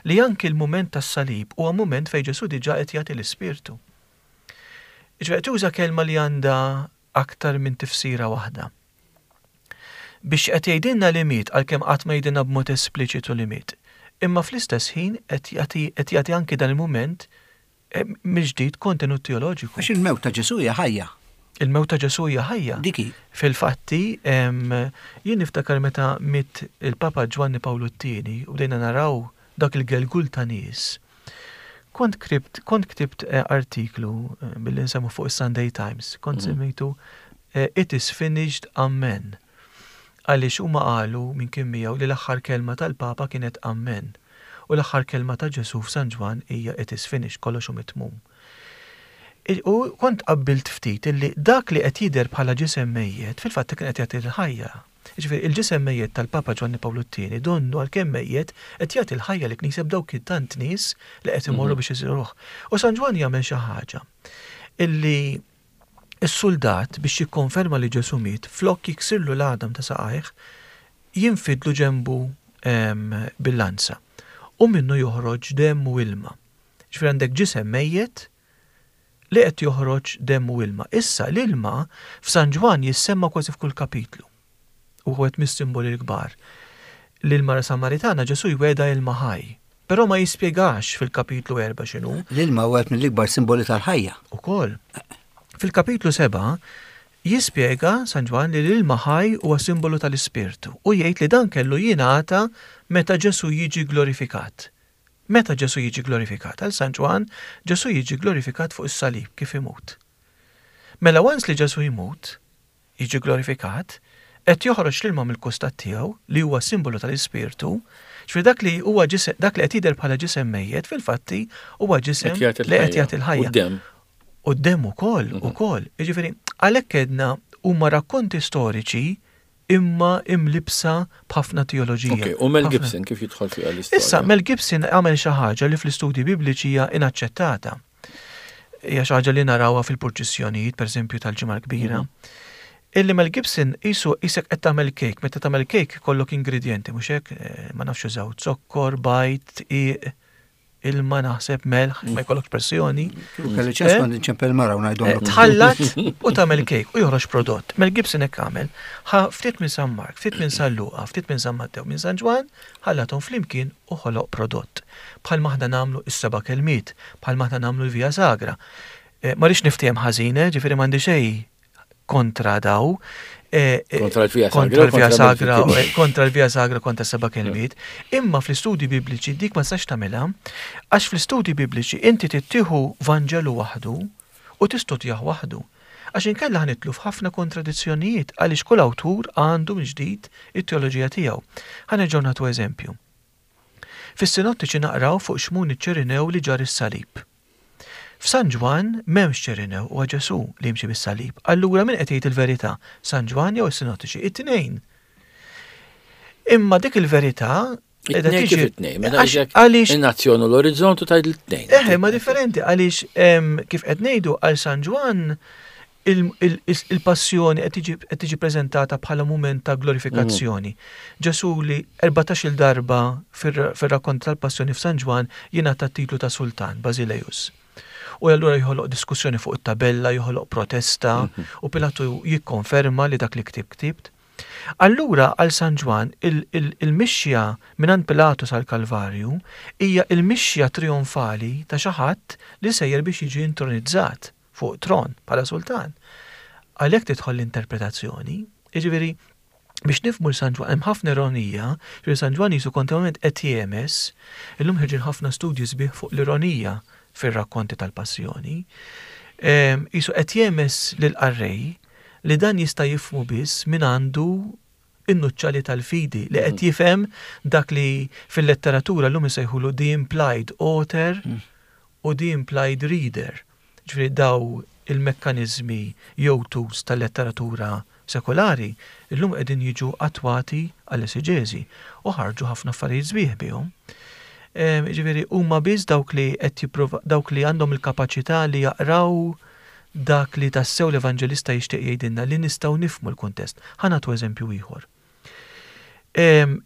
li anki l-mument tas-salib huwa mument fejn Ġesu diġà qed jagħti l-ispirtu. Ġifieri tuża kelma li għandha aktar minn tifsira waħda. Biex qed jgħidilna li miet, għalkemm qatt ma jgħidilna b'mod espliċitu li miet. Imma fl-istess ħin qed jagħti qed jagħti anki dan il-mument eh, mill-ġdid kontenut teoloġiku. Għax il-mewt ta' Ġesu hija ħajja. Il-mewt ta' Ġesu hija ħajja. Diki. Fil-fatti, em, jien niftakar meta miet il-Papa Ġwanni Pawlu t-tieni u bdejna naraw dak il-gelgul ta' nies. Kont kribt, kont ktibt eh, artiklu eh, billi nsemmu fuq is-Sunday Times, kont Mhm. semmejtu eh, It is finished, amen. Għaliex huma qalu minn kien miegħu li l-aħħar kelma tal-Papa kienet amen. U l-aħħar kelma ta' Ġesu f'San Ġwann hija it is finished, kollox hu mitmum. Il- U kont qabbilt ftit illi dak li qed jidher bħala ġisem mejjet fil-fatt kien qed jagħti l-ħajja. Jiġifieri il-ġisem mejjet tal-Papa Ġwanni Pawlu t-tieni donnu għalkemm mejjet qed jagħti l-ħajja li knisja b'dawk tant nies li qed imorru biex iżuruh. U San Ġwann jagħmel xi ħaġa illi is-soldat biex jikkonferma li Ġesu miet flok jiksirlu l-għadam ta' saqajh jinfidlu ġembu em, bil-lanza u minnu joħroġ demm u ilma. Ġifieri għandek ġisem mejjet li qed joħroġ demm u ilma. Issa l-ilma f'San Ġwann jissemma kważi f'kull kapitlu. U wieħed mis-simboli l-kbar. L-ilma Samaritana Ġesu jwegħedha ilma ħaj, però ma jispjegax fil-kapitlu erba' x'inhu. L-ilma wieħed mill-ikbar simboli tal-ħajja. Ukoll. Fil-kapitlu seba' jispjega San Ġwann li l-ilma ħaj huwa simbolu tal-Ispirtu u jgħid li dan kellu jingħata meta Ġesu jiġi glorifikat. Meta Ġesu jiġi glorifikat? Għal San Ġwann, Ġesu jiġi glorifikat fuq is-salib kif imut. Mela once li Ġesu jmut, jiġi glorifikat, qed joħroġ l-ilma mill-kustat tiegħu li huwa simbolu tal-Ispirtu, ġifieri dak li huwa ġisem, dak li qed jidher bħala ġisem mejjet fil-fatti huwa ġisem Qed jagħti li qed l-ħajja. jagħti l-ħajja. U d-demm. U d-demm ukoll, ukoll. Jiġifieri, għalhekk għedna huma rakkonti storiċi imma imlibsa b'ħafna teoloġija. Ok, u Mel Ħafna- Gibson kif jidħol fiha l-istorja? Issa, Mel Gibson għamel xi ħaġa li fl-istudji bibliċi hija inaċċettata. Hija xi ħaġa li narawha fil-purċissjonijiet, pereżempju tal-Ġimgħa l-Kbira. Illi Mel Gibson qisu qisek qed tagħmel kejk, meta tagħmel kejk ikollok ingredjenti, mhux hekk, eh, ma nafx użaw zokkor, bajd, dqiq, ilma naħseb melħ, ma jkollokx pressjoni. Kelli ċans Eh? kont inċempel mara u Eh, ngħidhom. Tħallat u tagħmel kejk u joħroġ prodott. Mel Gibson hekk għamel, ħa ftit minn San Mark, ftit minn San Luqa, ftit minn San Mattew, minn San Ġwann, ħallathom flimkien u ħoloq prodott. Bħal aħna nagħmlu is-seba' kelmiet, bħal aħna nagħmlu l-Via Sagra. Eh, Ma rridx niftiehem ħażin, eh, ġifieri m'għandi xejn kontra daw. eh, eh, Kontra l-Via Sagra Kontra u l-Via kontra Mel Sagra, Gibson. eh, kontra l-Via Sagra, kontra seba' kelmiet. Imma fl-istudji bibliċi dik ma tistax tagħmilha, għax fl-istudji bibliċi inti tittieħu Vanġelu waħdu u tistudjah waħdu. Għax inkella ħa nidħlu f'ħafna kontradizzjonijiet għaliex kull awtur għandu mill-ġdid it-teoloġija tiegħu. Ħa nerġgħu nagħtu eżempju. Fis-sinottiċi naqraw fuq Xmun iċ-Ċirinew li ġarr is-salib. F'San Ġwann m'hemmx Ċirinew huwa Ġesu li jimxi bis-salib. Allura min qed jgħid il-verità? San Ġwann jew is-sinottiċi? It-tnejn. Imma dik il-verità qiegħda It-tnejn kif tiġi- it-tnejn? Meta Għax- għax Għaliex in-nazzjon u l-orizzont u tgħid l-tnejn. Eħe, ma differenti, għaliex em, kif qed ngħidu għal San Ġwann il- il- il- il-passjoni qed tiġi qed tiġi preżentata bħala mument ta' glorifikazzjoni. Ġesu li erbatax-il darba fir- fir-rakkont tal-passjoni f'San Ġwann jingħata titlu ta' sultan, Basileus. U allura joħloq diskussjoni fuq it-tabella, joħloq protesta, u Pilatu jikkonferma li dak li ktib ktibt. Allura għal San Ġwann il- il- il-mixja minn Pilatu sal-Kalvarju hija il-mixja trionfali ta' xi ħadd li sejjer biex jiġi intronizzat fuq tron bħala sultan. Għalhekk tidħol l-interpretazzjoni, jiġifieri biex nifhmu l San Ġwann hemm ħafna ironija, ġifieri San Ġwann qisu kontinwament qed jemes, illum ħirġin ħafna studji sbieħ fuq l-ironija fir-rakkonti tal-passjoni. Em, Qisu qed jemes lill-qarrej li dan jista' jifhmu biss min għandu in-nuċċali tal-fidi li qed jifhem dak li fil-letteratura llum isejħulu the implied author u the implied reader. Ġifieri daw il-mekkanizmi jew tools tal-letteratura sekolari illum qegħdin jiġu attwati għall-eseġeżi u ħarġu ħafna affarijiet sbieħ bihom. Em, Ġifieri huma biss dawk li qed jipprova dawk li għandhom il-kapaċità li jaqraw dak li tassew l-evanġelista jixtieq jgħidilna li nistgħu nifhmu l-kuntest. Ħa nagħtu eżempju ieħor. Em,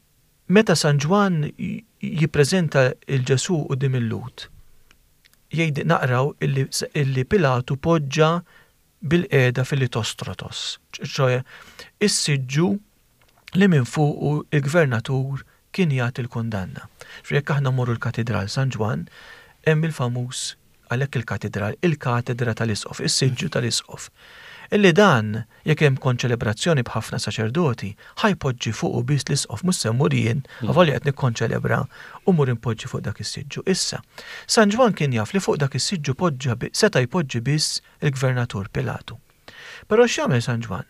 Meta San Ġwann j- jippreżenta il-Ġesu quddiem il-Lhud, jgħid naqraw illi, illi Pilatu poġġa bilqiegħda fil-litostrotos, ċoè is-siġġu li minn fuqu il-gvernatur kien jagħti l-kundanna. Jekk aħna mmorru l-Katidral San Ġwann, hemm il-famuż, għalhekk il-katedral, il-katedra tal-isqof, is-siġġu tal-isqof. Illi dan, jekk hemm konċelebrazzjoni b'ħafna saċerdoti, ħa jpoġġi fuqu biss l-isqof, mhux se mmur jien, avolja qed nikkonċelebra, u mur impoġġi fuq dak is-siġġu. Issa, San Ġwann kien jaf li fuq dak is-siġġu poġġa seta' jpoġġi biss il-gvernatur Pilatu. Però x'jagħmel San Ġwann?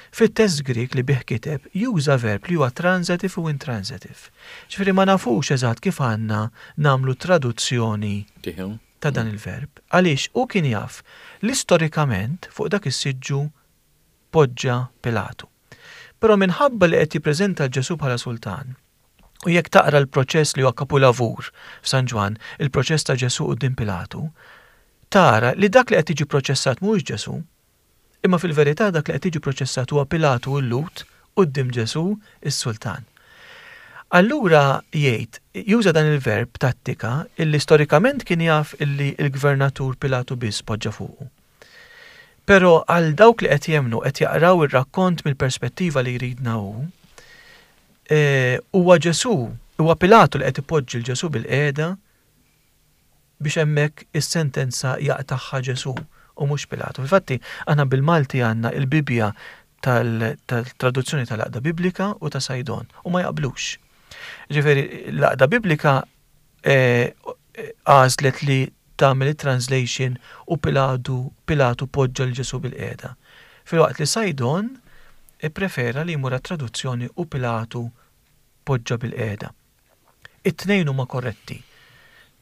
Fit-test Grik li bih kiteb juża verb li huwa transitive u intransitive. Ġifieri ma nafux eżatt kif għandna nagħmlu traduzzjoni ta' dan il-verb. Għaliex u kien jaf li storikament fuq dak is-siġġu poġġa Pilatu. Però minħabba li qed jippreżenta Ġesu bħala sultan, u jekk taqra l-proċess li huwa kapulavur f'San Ġwann, il-proċess ta' Ġesu quddiem Pilatu, tara li dak li qed jiġi proċessat mhuwiex Ġesu, imma fil-verità dak li qed jiġi proċessat huwa Pilatu u l-Lhud quddiem Ġesu is-sultan. Allura jgħid, juża dan il-verb tattika illi storikament kien jaf illi il-gvernatur Pilatu biss poġġa fuqu. Però għal dawk li qed jemnu qed jaqraw ir-rakkont mill-perspettiva li jridna hu, huwa Ġesu, huwa Pilatu li qed ipoġġi l Ġesu bil-qiegħda biex hemmhekk is-sentenza jaqtagħha Ġesu u mhux Pilatu. Infatti aħna bil-Malti għandna il-Bibbja tal-traduzzjoni tal-Għaqda Biblika u ta' Saydon u ma jaqblux. Ġifieri l-Għaqda Biblika għażlet li tagħmel it-translation u Pilatu Pilatu poġġa l Ġesu bil-qiegħda. Filwaqt li Saydon ipprefera li jmur traduzzjoni u Pilatu poġġa bil-qiegħda. It-tnejn huma korretti.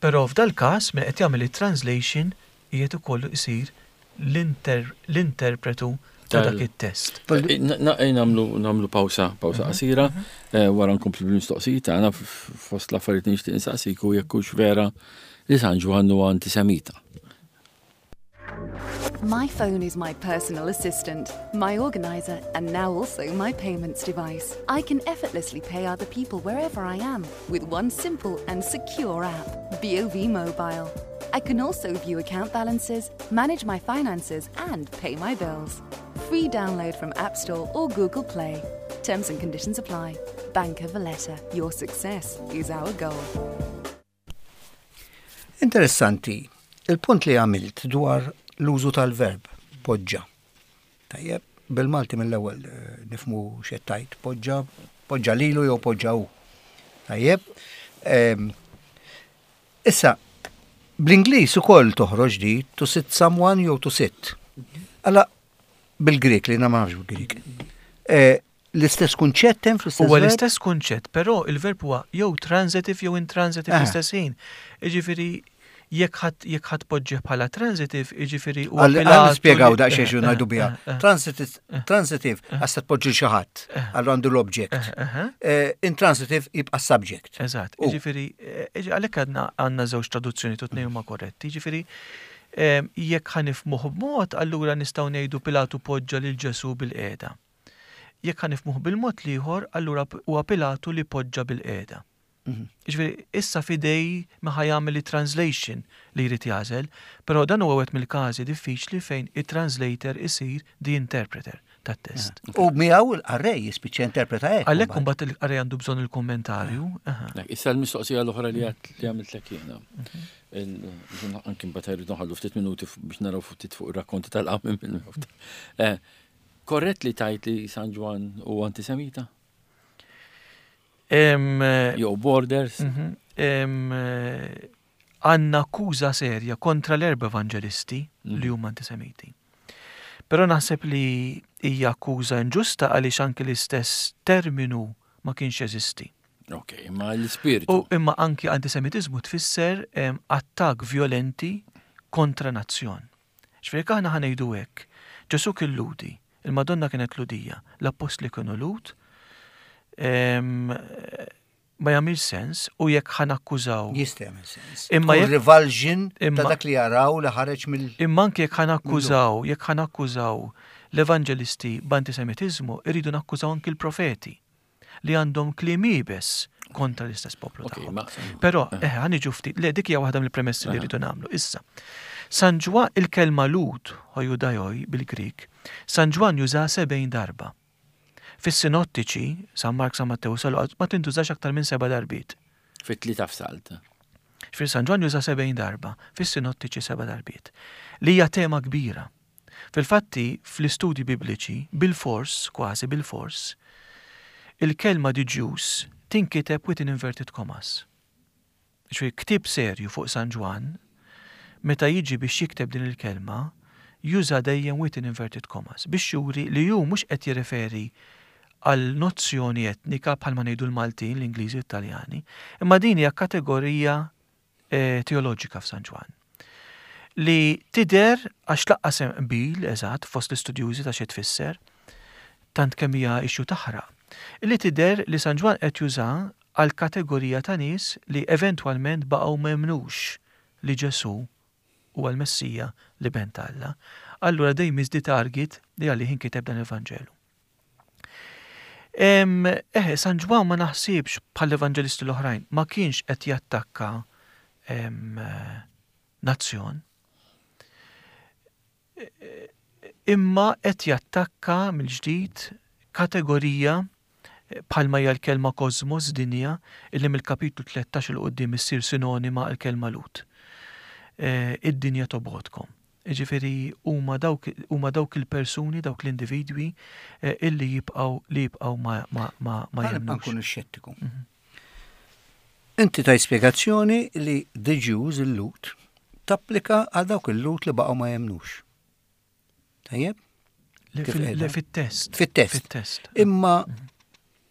Però f'dal każ min qed jagħmel it-translation qiegħed ukoll isir l-interpretu ta' dak it-test. Nagħmlu nagħmlu pawsa, pawsa qasira, wara nkomplu bil-mistoqsijiet tagħna. Fost l-affarijiet nixtieq insaqsik u jekk hux vera li San Ġwann huwa antisemita. My phone is my personal assistant, my organizer, and now also my payments device. I can effortlessly pay other people wherever I am with one simple and secure app, B O V Mobile. I can also view account balances, manage my finances, and pay my bills. Free download from App Store or Google Play. Terms and conditions apply. Bank of Valletta. Your success is our goal. Interessanti, il-punt li għamilt dwar l-użu tal-verb, poġġa. Tajjeb, bil-Malti mill-ewwel eh, nifhmu x'għedt, poġġa, poġġa lilu jew poġġa hu. Tajjeb, em, issa, bl-Ingliż ukoll toħroġ di to sit someone jew to sit. Alla, bil-Grek li ma nafx bil-Grek. Eh, L-istess kunċett hemm fl-istess Huwa verb? L-istess kunċett, però il-verb huwa jew transitive jew intransitive Ah. fl-istess ħin. Jiġifieri jekk ħadd jekk ħadd poġġih bħala transitive, jiġifieri huwa Għal Pilatu spiegaw li- daqsxejn xi eh, ngħidu eh, biha. eh, Transitive, transitive għax se tpoġġi xi ħadd, allura għandu l-object. eh, eh. Eh, Intransitive jibqa' subject. Eżatt, U. jiġifieri eh, għalhekk għandna għandna żewġ traduzzjoni, u tnejn huma korretti. Jiġifieri eh, jekk ħa nifhmuh b'mod, allura nistgħu ngħidu Pilatu poġġa lil Ġesu bil-qiegħda. Jekk ħa nifhmuh bil-mod l-ieħor, allura huwa Pilatu li poġġa bil-qiegħda. Jiġifieri issa f'idejn min ħa jagħmel translation li jrid jagħżel, però dan huwa wieħed mill-każi diffiċli fejn it-translator isir the interpreter tat-test. U miegħu il-qarrej jispiċċa interpreta hekk. Għalhekk imbagħad. imbagħad il-qarrej għandu bżonn il-kommentarju. aha. Nek, issa l-mistoqsija l-oħra li għat li għamiltlek jiena. Il- Anki mbagħad irrid noħallu ftit minuti f- biex naraw ftit fuq ir-rakkonti tal-qawmien mill-mewt. Eh, Korrett li tajt li San Ġwann hu antisemita? Em, eh, Jew borders? mhm, em, eh, Għandna akkuża serja kontra l-erba evangelisti li huma antisemiti. Però naħseb li hija akkuża inġusta għaliex anke l-istess terminu ma kienx jeżisti. Ok, imma l-ispirtu. U imma anki antisemitizmu tfisser em, attak violenti kontra nazzjon. Ġifieri aħna ħa ngħidu hekk. Ġesu kien Lhudi, il-Madonna kienet Lhudija, l-Appostli kienu Lhud, em, ma jagħmilx sens u jekk ħa nakkużaw. Jista' jagħmel sens. Imma Tkun jekk- revulsion ta' imma- dak li jaraw li ħareġ mill Imma anki jekk ħa nakkużaw, jekk ħa nakkużaw l-evanġelisti b'antisemitizmu, irridu nakkużaw anki l-profeti li għandhom kliem iebes kontra l-istess poplu Ok, tagħhom. ma- Però, eh, ħa niġu ftit, le, dik hija waħda mill-premessi li rridu nagħmlu. Issa, San Ġwann, il-kelma Lhud, ὁ Ἰουδαῖοι bil-Grik, San Ġwann juża sebgħin darba. Fis-sinottiċi, San Mark, San Mattew, San Luqa, ma tintużax aktar minn seba' darbiet. Fit-tlieta f'salt. Fil San Ġwann juża sebgħin darba, fis-sinottiċi seba' darbiet. Li hija tema kbira. Fil-fatti, fl-istudji bibliċi, bil-fors, kważi bil-fors, il-kelma "the Jews" tinkiteb within inverted commas. Ġifieri ktieb serju fuq San Ġwann, meta jiġi biex jikteb din il-kelma, juża dejjem within inverted commas biex juri li hu mhux qed jirreferi għal nozzjoni etnika bħalma ngħidu l-Maltin, l-Ingliżi u l-Italjani, imma din hija kategorija eh, teoloġika f'San Ġwann. Li tidher għax lanqas hemm qbil eżatt fost l-istudjużi ta' xi tfisser, tant kemm hija issue taħraq. Li tidher li San Ġwann qed juża għal kategorija ta' nies li eventwalment baqgħu m'emmnux li Ġesù huwa l-Messija, l-Iben t'Alla. Allura they miss the target li għalih inkiteb dan il-Vanġelu. Eħe, San Ġwann ma naħsibx bħal evanġelisti l-oħrajn, ma kienx qed jattakka em, nazzjon. Imma qed jattakka mill-ġdid kategorija bħalma hija l-kelma kosmos, dinja, illi mill-kapitlu tlettax 'il quddiem issir sinonima għal kelma Lhud. Eh, Id-dinja tobgħodkom. Ġifieri huma dawk huma dawk il-persuni, dawk l-individwi eh, illi jibqgħu li jibqgħu ma ma ma ma Ħa nibqa' jemmnux. nkun xettiku. Inti taj spjegazzjoni li the Jews, il-Lhud, tapplika għal dawk il-Lhud li baqgħu ma jemnux. Tajjeb? Le Kif fil- qiegħda? Le fit-test. Fit-test. Fit-test. Imma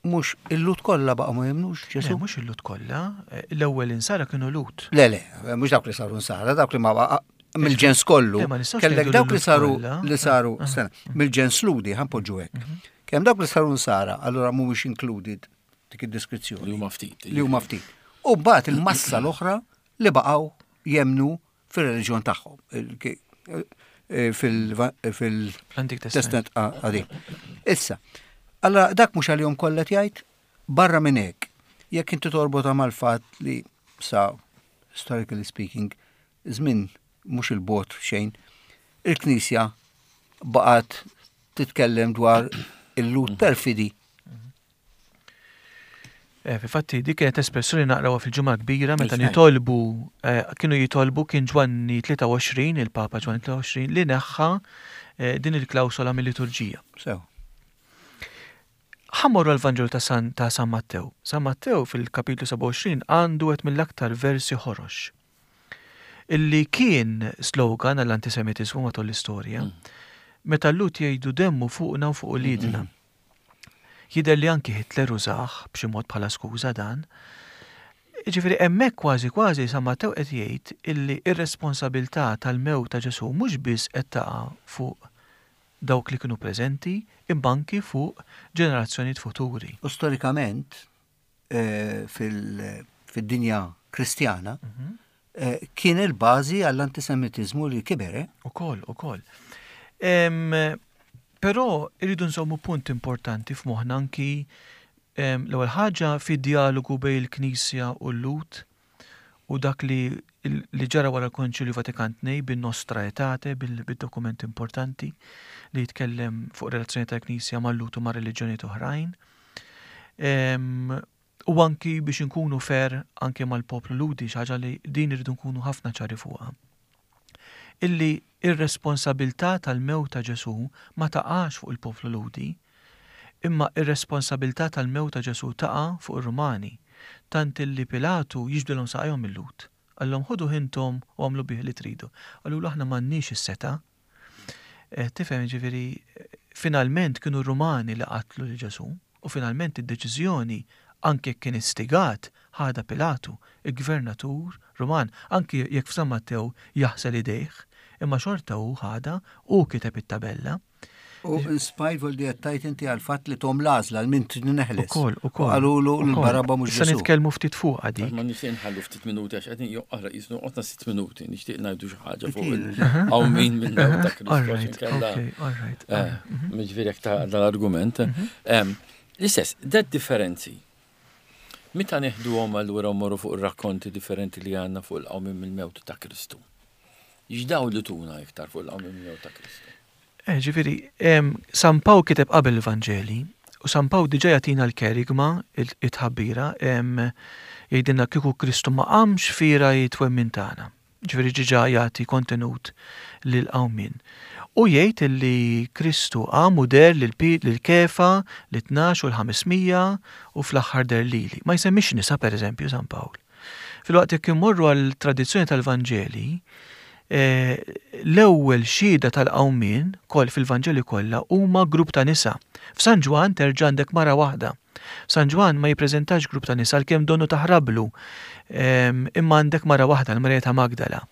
mhux il-Lhud kollha baqgħu ma jemnux Le, Ġesu? mhux il-Lhud kollha, eh, l-ewwel insara kienu Lhud. Le, le, mhux dawk li saru nsara, dawk li ma baqa' mill-ġens kollu. Le, ma nistgħux Kellek ngħidu dawk li l-Lhud saru kollha. li saru, Ah, sena, mill-ġens Lhudi, ħa npoġġu hekk. Kemm dawk li saru nsara, allura mhumiex included dik id-deskrizzjoni. Li huma ftit. Li huma ftit. U mbagħad il-massa l-oħra li baqgħu jemnu fir-reliġjon tagħhom. Il- ki- eh, Fil- fil- L-Antik Testament. Testament Qadim. Issa, allora dak mhux għalihom kollha jgħid barra minn hekk. Jekk inti torbota mal-fatt li sa historically speaking, żmien mhux il-bogħod xejn, il-Knisja baqgħet titkellem dwar il-Lhud perfidi. Eh, Fil-fatti, dik kienet espressjoni naqrawha fil-Ġimgħa Kbira meta Mhux nitolbu, eh, kienu jitolbu, kien Ġwanni tlieta u għoxrin, il-Papa Ġwanni tlieta u għoxrin, li neħħa eh, din il-klawsola mill-liturġija. Sew. Ħa mmorru l-Vanġelu ta' San, ta' San Mattew. San Mattew fil-kapitlu sebgħa u għoxrin għandu wieħed mill-aktar versi ħorox. Illi kien slogan għall-antisemitizmu matul l-istorja. Meta l-Lhud jgħidu "demmu fuqna u fuq uliedna". Jidher li anki Hitler użah b'xi mod bħala skuża dan. Ġifieri hemmhekk kważi kważi San Mattew qed jgħid illi ir-responsabilità tal-mewt ta' Ġesù mhux biss qed taqa' fuq dawk li kienu preżenti, imma anki fuq ġenerazzjonijiet futuri. U storikament eh, fil- fid-dinja kristjana eh, kien il-bażi għall-antisemitizmu li kiber, eh? Ukoll, ukoll. Em, Però irridu nżommu punt importanti f'moħħna anki em, l-ewwel ħaġa fid-dialogu bejn il-Knisja u l-Lhud u dak li li ġara wara l-Konċilju Vatikan tnejn bin-Nostra Aetate, bil-dokument importanti li jitkellem fuq relazzjoni tal-Knisja mal-Lhud u ma' reliġjonijiet oħrajn. Em, U anki biex nkunu fair anki mal-poplu Lhudi, xi ħaġa li din irridu nkunu ħafna ċari fuqha. Illi ir-responsabilità tal-mewt ta' Ġesù ma taqax fuq il-poplu Lhudi, imma ir-responsabilità tal-mewt ta' Ġesù taqa' fuq ir-Rumani. Tant illi Pilatu jiġbdilhom saqajhom il-Lhud. Qallhom, "Ħuduh intom u agħmlu bih li tridu." Qalulu, "Aħna m'għandniex is-setgħa." Eh, Tifhem, ġifieri, finalment kienu r-Rumani li qatlu li Ġesù u finalment id-deċiżjoni, anke jekk kien istigat, ħadha Pilatu, il-gvernatur Ruman, anke jekk f'San Mattew jaħsel idejh, imma xorta hu ħadha u kiteb it-tabella. U in spite of li għattajt inti għal-fatt li tahom l-għażla 'l min neħles. Ukoll, ukoll. Qalulu ukoll. l-Barabba mhux Issa Ġesu. nitkellmu ftit fuq dik. Ma nixtieq nħallu ftit minuti għax qegħdin joqra jisnu qotna sitt minuti, nixtieq ngħidu xi ħaġa fuq il-qawmien mill-mewt ta' Kristu. All għax right, inkella- okay, all right. Eh, Ġifieri jekk ta' dal-argument. Em, L-istess, dat differenzi. Meta neħduhom allura mmorru fuq ir-rakkonti differenti li għandna fuq il-qawmien mill-mewt ta' Kristu. X'daw li tuna iktar fuq il-qawmien mill-mewt ta' Kristu? Eh, ġifieri, em, San Pawl kiteb qabel il-Vanġeli U San Pawl diġà jagħtina l-kerigma, it-tħabbira, jgħidilna kieku Kristu ma qamx fiergħa t-twemmin tagħna. Ġifieri diġà jagħti kontenut lil qawmien. U jgħid li Kristu qam u deher lil Kefa, lit-tnax u l-ħames mija u fl-aħħar deher lili. Ma jsemmix nisa, pereżempju, San Pawl. Filwaqt jekk immorru għal tradizzjoni tal-Vanġeli, eh, l-ewwel xhieda tal-qawmien koll fil-Vanġeli kollha huma grupp ta' nisa. F'San Ġwann terġa' għandek mara waħda. San Ġwann ma jippreżentax grupp ta' nisa għalkemm donnu taħrablu, imma għandek mara waħda, l-Marija ta' Magdala.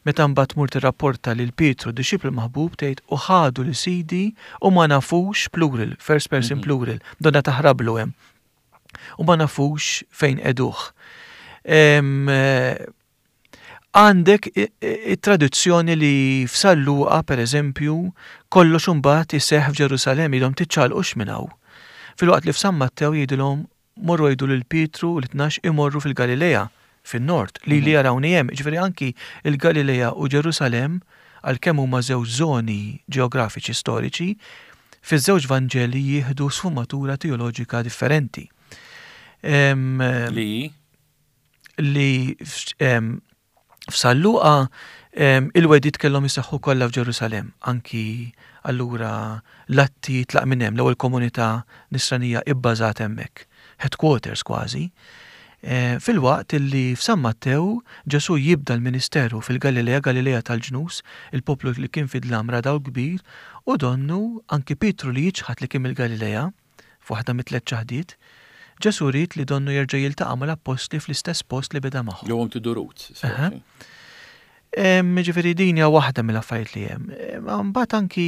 Meta mbagħad tmur tirrapporta lil Pietru, dixxiplu maħbub, tgħid u ħadu lil Sidi u ma nafux, plural, first person mhm. plural, donna taħrablu hemm. U ma nafux fejn qegħduh. Għandek it-tradizzjoni li f'San Luqa, per eżempju, kollox imbagħad iseħħ f'Ġerusalemm, jgħidhom tiċċaqalqux minn hawn. Filwaqt li f'San Mattew jgħidilhom morru għidu lil Pietru u l-tnax imorru fil-Galilea, fin-nord, li li mhm. jarawni hemm. Ġifieri anki il-Galilea u Ġerusalemm, għalkemm huma żewġ żoni ġeografiċi storiċi, fiż-żewġ Vanġeli jieħdu sfumatura teoloġika differenti. Li? Li f'San Luqa il-wegħdiet kellhom jiseħħu kollha f'Ġerusalemm, anki allura l-atti tlaq minn hemm, l-ewwel komunità nisranija ibbażat hemmhekk, headquarters kważi. E, filwaqt illi f'San Mattew Ġesu jibda l-ministeru fil-Galilea, Galilea tal-ġnus, il-poplu li kien fid-dlam ra dawl kbir, u donnu anki Pietru li jiċħad li kien mill-Galilea, f'waħda mit-tliet ċaħdiet, Ġesu ried li donnu jerġa' jiltaqa' mal-appostli fl-istess post li beda magħhom. Go to the roots. Ġifieri din hija waħda mill-affarijiet li hemm. Mbagħad anki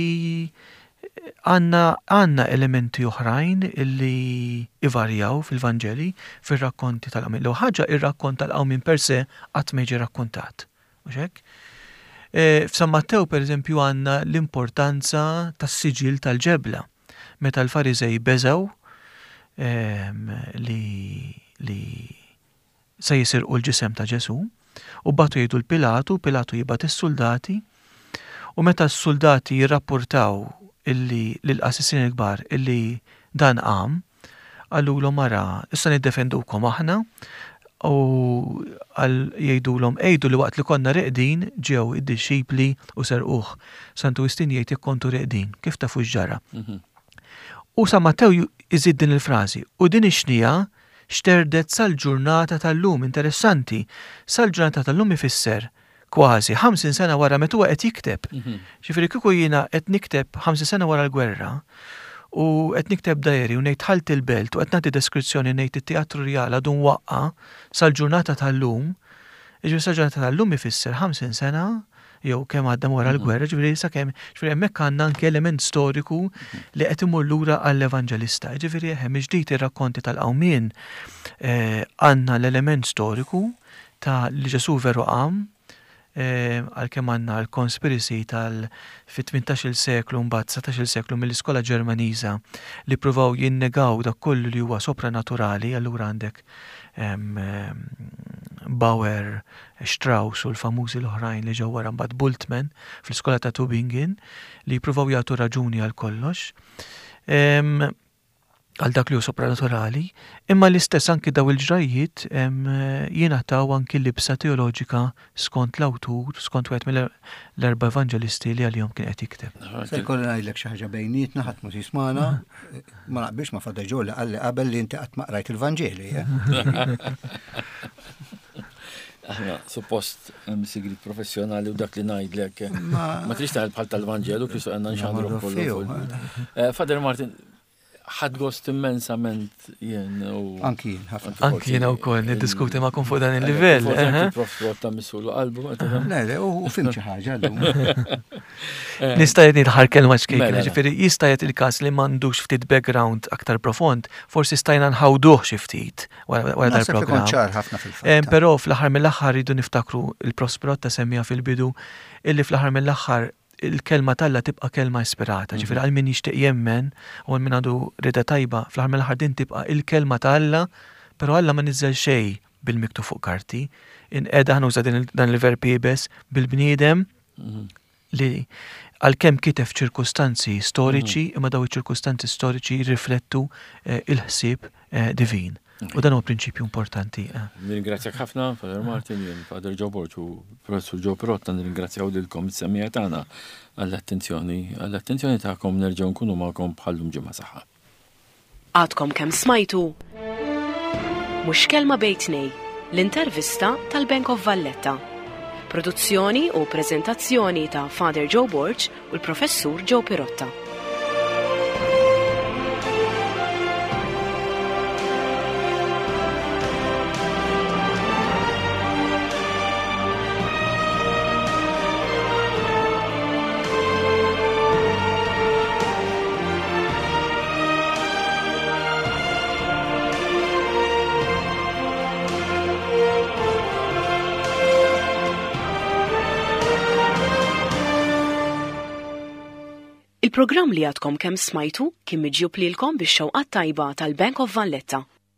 għandna għandna elementi oħrajn illi ivarjaw fil-Vanġeli fir-rakkonti tal-qawmien. L ħaġa, ir-rakkont tal-qawmien per se qatt ma jiġi rakkontat. Mhux hekk? E, F'San Mattew, per eżempju, għandna l-importanza tas-siġil tal-ġebla. Meta l-Fariżej beżaw li li se jisirqu l-ġisem ta' Ġesu u bagħtu jgħidu lil Pilatu, Pilatu jibgħat is-soldati u meta s-soldati jirrapportaw illi lill-qassisin il-kbar illi dan qam, qalulhom mara, issa niddefendukom aħna, u jgħidulhom għidu li waqt li konna reqdin ġew id-dixxipli u serquh. Santu Wistin jgħid jekk kontu reqdin, kif tafu x'ġara? Mhm. U San Mattew iżid din il-frażi, u din ix-xnija xterdet sal-ġurnata tal-lum. Interessanti, sal-ġurnata tal-lum ifisser kważi ħamsin sena wara meta huwa qed jikteb. Mhm. Ġifieri kieku jiena qed nikteb ħamsin sena wara l-gwerra u qed nikteb diary u ngħid dħalt il-Belt u qed nagħti deskrizzjoni, ngħid it-Teatru Rjal għadu mwaqqa sal-ġurnata tal-lum, ġifieri sal-ġurnata tal-lum ifisser ħamsin sena jew kemm għadda wara mhm. l-gwerra, ġifieri sakemm, ġifieri hemmhekk għandna anke element storiku li qed imur lura għall-Evanġelista. Ġifieri hemm ġdid ir-rakkonti tal-qawmien, eh, għandna l-element storiku ta' li Ġesu veru qam, eh, għalkemm għandna l-conspiracy tal fit-tmintax-il seklu, mbagħad dsatax-il seklu, mill-iskola Ġermaniża li provaw jinnegaw dak kollu li huwa sopranaturali, allura għandek Bauer, Strauss u l-famużi l-oħrajn li ġew wara mbagħad, Bultmann fl-iskola ta' Tübingen, li jippruvaw jagħtu raġuni għal kollox għal dak li hu sopranaturali, imma l-istess anki daw il-ġrajiet jingħataw anki libsa teoloġika skont l-awtur, skont wieħed mill-erba' evanġelisti li għalihom kien qed jikteb. Se jkolli ngħidlek xi ħaġa bejnietna, ħadd mhu jismagħna, ma naqbilx ma' Father Joe li qalli qabel li inti qatt ma qrajt il-Vanġeli. Eh? Aħna, suppost, hemm sigrit professjonali u dak li ngħidlek. Ma trix taħel bħal tal-Vanġelu, kif għandna nxandru kollu. Eh, Father Martin, ħadt gost immensament jien u. Anki jien, ħafna. Anki jiena wkoll niddiskuti magħkom fuq dan il-livell. Forsi Prof Rotta missulu qalbu. Le, le, u fhimt xi ħaġa llum. Nista' jgħid nidħar kelma ċkejkna, Mela. ġifieri jista' jgħid il-każ li m'għandux ftit background aktar profond, forsi stajna nħawduh xi ftit wara wara Naħseb li dal-programm. kont ċar ħafna Eh, fil-fatt. Però fl-aħħar mill-aħħar rridu niftakru, il-Prof Sperotta semmija fil-bidu, illi fl-aħħar mill-aħħar il-kelma t'Alla tibqa' kelma ispirata. Ġifieri għal min jixtieq jemmen u għal min għandu rieda tajba, fl-aħħar mill-aħħar din tibqa' il-kelma t'Alla, però Alla ma niżel xejn bil-miktub fuq karti. Inqeda, ħa nuża din il- dan il-verb iebes, bil-bniedem li Għalkemm kiteb ċirkustanzi storiċi, mm. imma daw iċ-ċirkustanzi storiċi jirriflettu eh, il-ħsieb eh, divin. U dan huwa prinċipju importanti. Eh. Nirringrazzjak ħafna, Father Martin, jien Father Joe Borg u Professur Joe Pirotta, nirringrazzjaw lilkom is-semmiegħa tagħna għall-attenzjoni, għall-attenzjoni tagħkom. Nerġgħu nkunu magħkom bħallum ġimgħa saħħa. Għadkom kemm smajtu Mhux Kelma Bejn Tnejn, l-intervista tal-Bank of Valletta. Produzzjoni u prezentazzjoni ta' Father Joe Borg u l-Professur Joe Pirotta. Il-programm li għadkom kemm smajtu kien miġjub lilkom bix-xewqa tajba tal-Bank of Valletta.